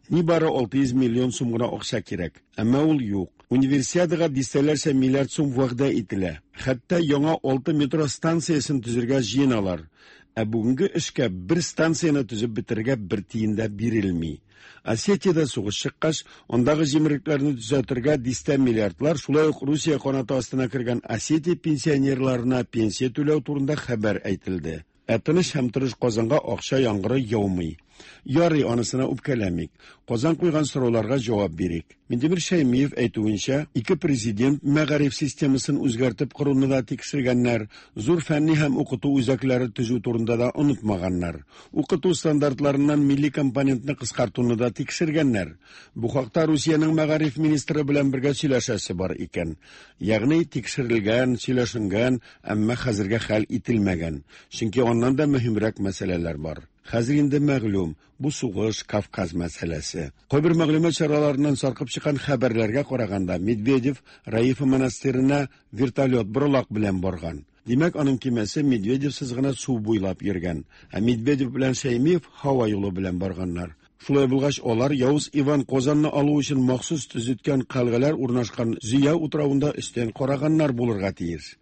Нибары алты йөз миллион сум гына акча кирәк. Әмма ул юк. Универсиадага дистәләрчә миллиард сум вәгъдә ителә. Хәтта яңа алты метро станциясен төзергә җыеналар. Ә бүгенге эшкә бер станцияне төзеп бетерергә бер тиен дә бирелми. Осетиядә сугыш чыккач, андагы җимерекләрне төзәтергә дистә миллиардлар, шулай ук Русия канаты астына кергән Осетия пенсионерларына пенсия түләү турында хәбәр әйтелде. Ә тыныч һәм тырыш Казанга акча яңгыры яумый. Ярый, анысына үпкәләмик. Казан куйган сорауларга җавап бирик. Минтимер Шәймиев әйтүенчә, ике президент мәгариф системасын үзгәртеп коруны да тикшергәннәр, зур фәнни һәм укыту үзәкләре төзү турында да онытмаганнар. Укыту стандартларыннан милли компонентны кыскартуны да тикшергәннәр. Бу хакта Русиянең мәгариф министры белән бергә сөйләшәсе бар икән. Ягъни тикшерелгән, сөйләшенгән, әмма хәзергә хәл ителмәгән. Чөнки аннан да мөһимрәк мәсьәләләр бар. Хәзер инде мәгълүм, бу сугыш Кавказ мәсьәләсе. Кайбер мәгълүмат чараларыннан саркып чыккан хәбәрләргә караганда, Медведев Раифа монастырена вертолет боралак белән барган. Димәк, аның кимәсе Медведевсез гына су буйлап йөргән, ә Медведев белән Шәймиев һава юлы белән барганнар. Шулай булгач, алар Явыз Иван Казанны алу өчен махсус төзеткән калгалар урнашкан Зөя утравында өстән караганнар булырга тиеш.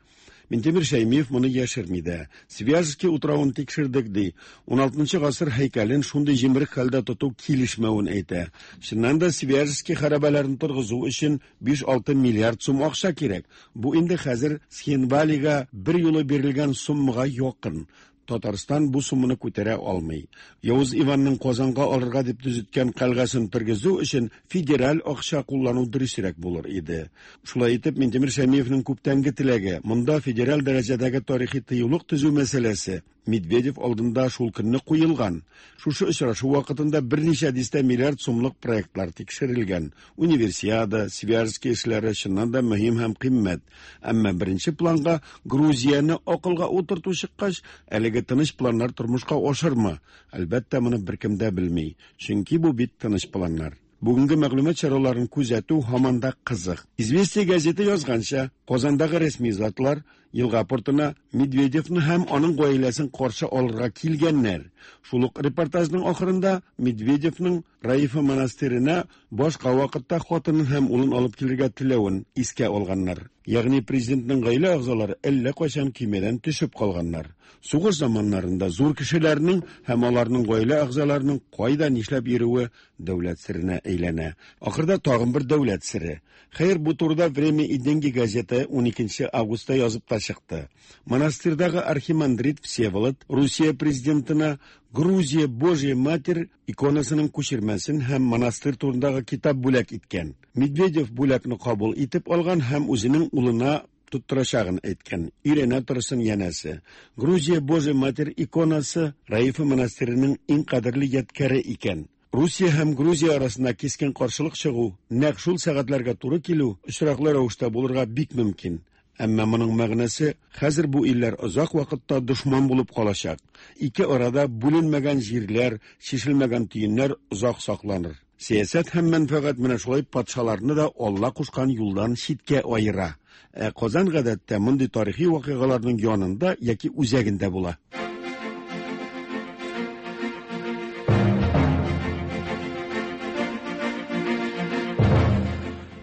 Минтимер Шәймиев моны яшерми дә. Свияжский утравын тикшердек ди. уналтынчы гасыр һәйкәлен шундый җимерек хәлдә тоту килешмәвен әйтә. Чыннан да Свияжский хәрабәләрен торгызу өчен биш-алты миллиард сум акча кирәк. Бу инде хәзер Схинвалига бер юлы бирелгән суммага якын. Татарстан бу сумманы күтәрә алмый. Явыз Иванның Казанга алырга дип төзеткән калгасын тергезү өчен федераль акча куллану дөресрәк булыр иде. Шулай итеп, Минтимер Шәймиевнең күптәнге теләге, монда федераль дәрәҗәдәге тарихи тыюлык төзү мәсьәләсе Медведев алдында шул көнне куелган. Шушы очрашу вакытында берничә дистә миллиард сумлык проектлар тикшерелгән. Универсиада, Свияжский эшләре чыннан да мөһим һәм кыйммәт. Әмма беренче планга Грузияне акылга утырту чыккач, әлеге тыныч планнар тормышка ашырмы? Әлбәттә, моны беркем дә белми. Чөнки бу бит тыныч планнар. Бүгенге мәгълүмат чараларын күзәтү һаман да кызык. Известия газеты язганча, Казандагы рәсми затлар елга портына Медведевны һәм аның гаиләсен каршы алырга килгәннәр. Шул ук репортажның ахырында Медведевның Раифа монастырена башка вакытта хатынын һәм улын алып килергә теләвен искә алганнар. Ягъни президентның гаилә әгъзалары әллә кайчан көймәдән төшеп калганнар. Сугыш заманнарында зур кешеләрнең һәм аларның гаилә әгъзаларының кайда нишләп йөрүе дәүләт серенә әйләнә. Ахырда тагын бер дәүләт сере. Хәер, бу турыда Время и деньги газеты уникенче августта язып та чыкты. Монастырьдагы архимандрит Всеволод Русия президентына Грузия Божья Матерь иконасының күчермәсен һәм монастырь турындагы китап бүләк иткән. Медведев бүләкне кабул итеп алган һәм үзенең улына тоттырачагын әйткән. Өйрәнә торсын янәсе. Грузия Божья Матерь иконасы Раифа монастыреның иң кадерле ядкәре икән. Русия һәм Грузия арасында кискен каршылык чыгу, нәкъ шул сәгатьләргә туры килү очраклы рәвештә булырга бик мөмкин. Әмма моның мәгънәсе хәзер бу илләр озак вакытта дошман булып калачак. Ике арада бүленмәгән җирләр, чишелмәгән төеннәр озак сакланыр. Сәясәт һәм мәнфәгать менә шулай патшаларны да Алла кушкан юлдан читкә аера. Ә Казан гадәттә мондый тарихи вакыйгаларның янында яки үзәгендә була.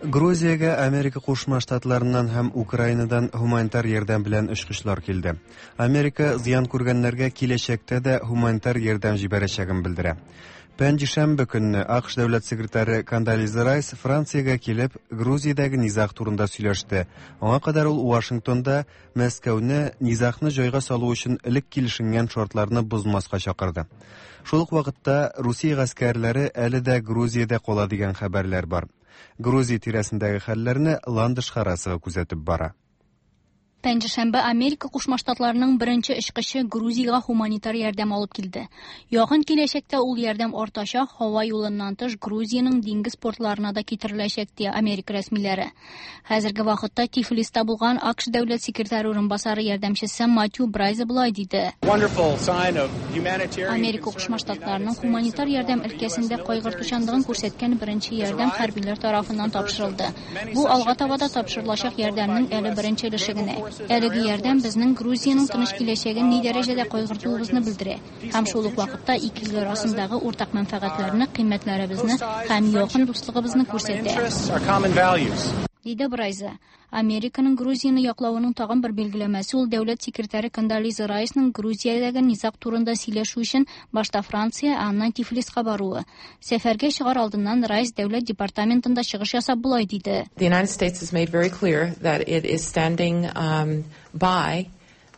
Грузиягә Америка Кушма Штатларыннан һәм Украинадан һуманитар ярдәм белән очкычлар килде. Америка зыян күргәннәргә киләчәктә дә һуманитар ярдәм җибәрәчәген белдерә. Пәнҗешәмбе көнне АКШ дәүләт секретаре Кондолиза Райс Франциягә килеп, Грузиядәге низаг турында сөйләште. Аңа кадәр ул Вашингтонда Мәскәүне низагны җайга салу өчен элек килешенгән шартларны бозмаска чакырды. Шул ук вакытта Русия гаскәрләре әле дә Грузиядә кала дигән хәбәрләр бар. Грузия тирәсендәге хәлләрне Ландыш Харасова күзәтеп бара. Пәнҗешәмбе Америка Кушма Штатларының беренче очкычы Грузиягә һуманитар ярдәм алып килде. Якын киләчәктә ул ярдәм артачак, һава юлыннан тыш Грузиянең диңгез портларына да китереләчәк, ди Америка рәсмиләре. Хәзерге вакытта Тифлиста булган АКШ дәүләт секретаре урынбасары ярдәмчесе Матью Брайза болай диде. Америка Кушма Штатларының һуманитар ярдәм өлкәсендә кайгыртучанлыгын күрсәткән беренче ярдәм хәрбиләр тарафыннан тапшырылды. Бу алга таба да тапшырылачак ярдәмнең әле беренче өлеше генә. Әлеге ярдәм безнең Грузиянең тыныч киләчәген ни дәрәҗәдә кайгыртуыбызны белдерә һәм шул ук вакытта ике ил арасындагы уртак мәнфәгатьләрне, кыйммәтләребезне һәм якын дуслыгыбызны күрсәтә, диде Брайза. Американың Грузияне яклавының тагын бер билгеләмәсе ул дәүләт секретаре Кондолиза Райсның Грузиядәге низаг турында сөйләшү өчен башта Франция, ә аннан Тифлиска баруы. Сәфәргә чыгар алдыннан Райс дәүләт департаментында чыгыш ясап болай диде. The United States has made very clear that it is standing um, by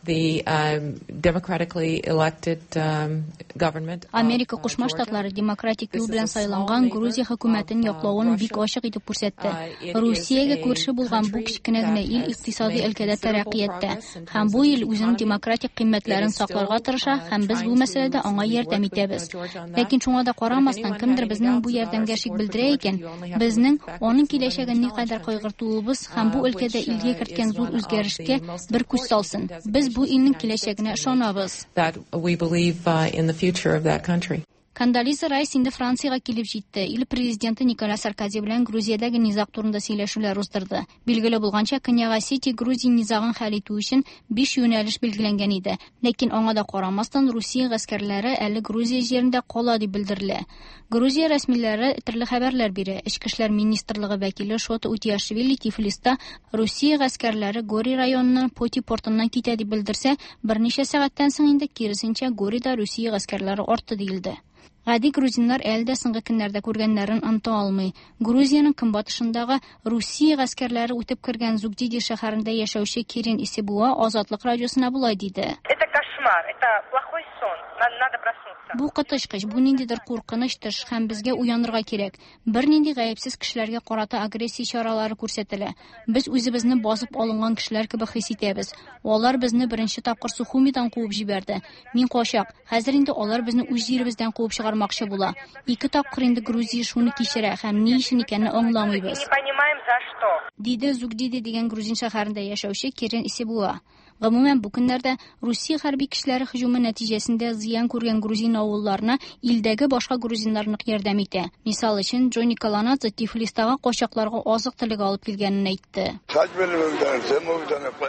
the um, democratically elected um, government. Америка Кушма Штатлары демократик юл белән сайланган Грузия хөкүмәтен яклавын бик ачык итеп күрсәтте. Русиягә күрше булган бу кечкенә генә ил икътисади өлкәдә тәрәккыятьтә һәм бу ил үзенең демократик кыйммәтләрен сакларга тырыша һәм без бу мәсьәләдә аңа ярдәм итәбез. Ләкин шуңа да карамастан, кемдер безнең бу ярдәмгә шик белдерә икән, безнең аның киләчәген никадәр кайгыртуыбыз һәм бу өлкәдә илгә керткән зур үзгәрешкә бер күз салсын. Без бу илнең киләчәгенә ышанабыз. That we believe uh, in the future of that country. Кондолиза Райс инде Франциягә килеп җитте. Ил президенты Николя Саркози белән Грузиядәге низаг турында сөйләшүләр уздырды. Билгеле булганча, Көньяк Осетия Грузия низагын хәл итү өчен биш юнәлеш билгеләнгән иде. Ләкин аңа да карамастан, Русия гаскәрләре әле Грузия җирендә кала дип белдерелә. Грузия рәсмиләре төрле хәбәрләр бирә. Эчке эшләр министрлыгы вәкиле Шота Утиашвили Тифлиста Русия гаскәрләре Гори районыннан Поти портыннан китә дип белдерсә, берничә сәгатьтән соң инде киресенчә Горида Русия гаскәрләре артты диелде. Гади грузиннар әле дә соңгы көннәрдә күргәннәрен оныта алмый. Грузиянең көнбатышындагы Русия гаскәрләре үтеп кергән Зугдиди шәһәрендә яшәүче Кирин Исебуа Азатлык радиосына болай диде. Это кошмар, это плохой сон, надо проснуться. Бу коточкыч, бу ниндидер куркыныч төш һәм безгә уянырга кирәк. Бернинди гаепсез кешеләргә карата агрессия чаралары күрсәтелә. Без үзебезне басып алынган кешеләр кебек хис итәбез. Алар безне беренче тапкыр Сухумидан куып җибәрде. Мин качак. Хәзер инде алар безне үз җиребездән куып чыгармакчы була. Ике тапкыр инде Грузия шуны кичерә һәм ни өчен икәнен аңламыйбыз. Не понимаем за что. Диде Зугдиди дигән грузин шәһәрендә яшәүче Кирин Исебуа. Гомумән, бу көннәрдә Русия хәрби көчләре һөҗүме нәтиҗәсендә зыян күргән грузин авылларына илдәге башка грузиннар нык ярдәм итә. Мисал өчен, Джонни Каланадзе Тифлистагы качакларга азык-төлек алып килгәнен әйтте.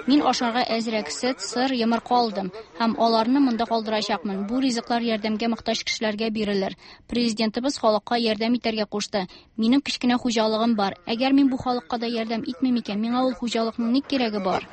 Мин ашарга әзрәк сөт, сыр, йомырка алдым һәм аларны монда калдырачакмын. Бу ризыклар ярдәмгә мохтаҗ кешеләргә бирелер. Президентыбыз халыкка ярдәм итәргә кушты. Минем кечкенә хуҗалыгым бар. Әгәр мин бу халыкка да ярдәм итмим икән, миңа ул хуҗалыкның ни кирәге бар?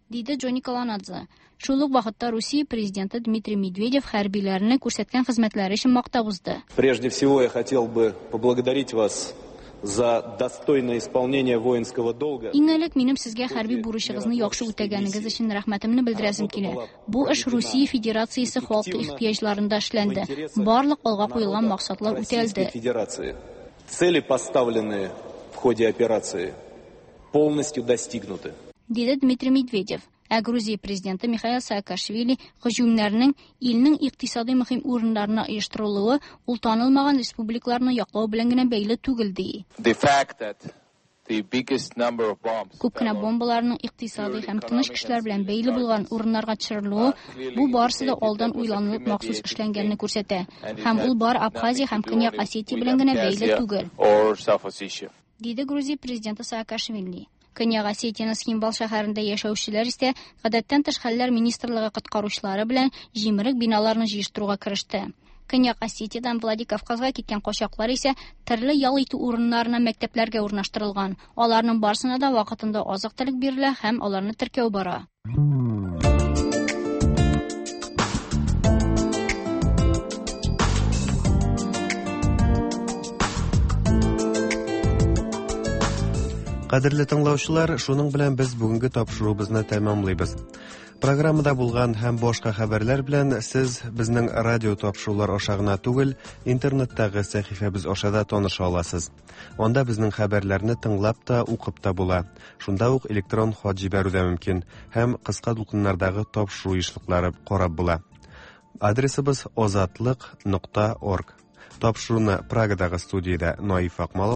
Диде Джонни Каланадзе. Шул ук вакытта Русия президенты Дмитрий Медведев хәрбиләрне күрсәткән хезмәтләре өчен мактап узды. Прежде всего я хотел бы поблагодарить вас за достойное исполнение воинского долга. Иң элек минем сезгә хәрби бурычыгызны яхшы үтәгәнегез өчен рәхмәтемне белдерәсем килә. Бу эш Русия Федерациясе халкы ихтыяҗларында эшләнде. Барлык алга куелган максатлар үтәлде. Цели, поставленные в ходе операции, полностью достигнуты. Диде Дмитрий Медведев. Ә Грузия президенты Михаил Саакашвили һөҗүмнәрнең илнең икътисади мөһим урыннарына оештырылуы ул танылмаган республикаларны яклау белән генә бәйле түгел ди. The fact that the biggest number of bombs Күп кенә бомбаларның икътисади һәм тыныч кешеләр белән бәйле булган урыннарга төшерелүе бу барысы да алдан уйланылып махсус эшләнгәнне күрсәтә. Һәм ул бар Абхазия һәм Көньяк Осетия белән генә бәйле түгел. Диде Грузия президенты Саакашвили. Көньяк Осетияның Схимбал шәһәрендә яшәүчеләр исә гадәттән тыш хәлләр министрлыгы коткаручылары белән җимерек биналарны җыештыруга кереште. Көньяк Осетиядән Владикавказга киткән качаклар исә төрле ял итү урыннарына, мәктәпләргә урнаштырылган. Аларның барысына да вакытында азык-төлек бирелә һәм аларны теркәү бара. Кадерле тыңлаучылар, шуның белән без бүгенге тапшыруыбызны тәмамлыйбыз. Программада булган һәм башка хәбәрләр белән сез безнең радио тапшырулар аша гына түгел, интернеттагы сәхифәбез аша да таныша аласыз. Анда безнең хәбәрләрне тыңлап та, укып та була. Шунда ук электрон хат җибәрү дә мөмкин һәм кыска дулкыннардагы тапшыру ешлыклары карап була. Адресыбыз озатлык нокта орг. Тапшыруны Прагадагы студиядә Наиф Акмалов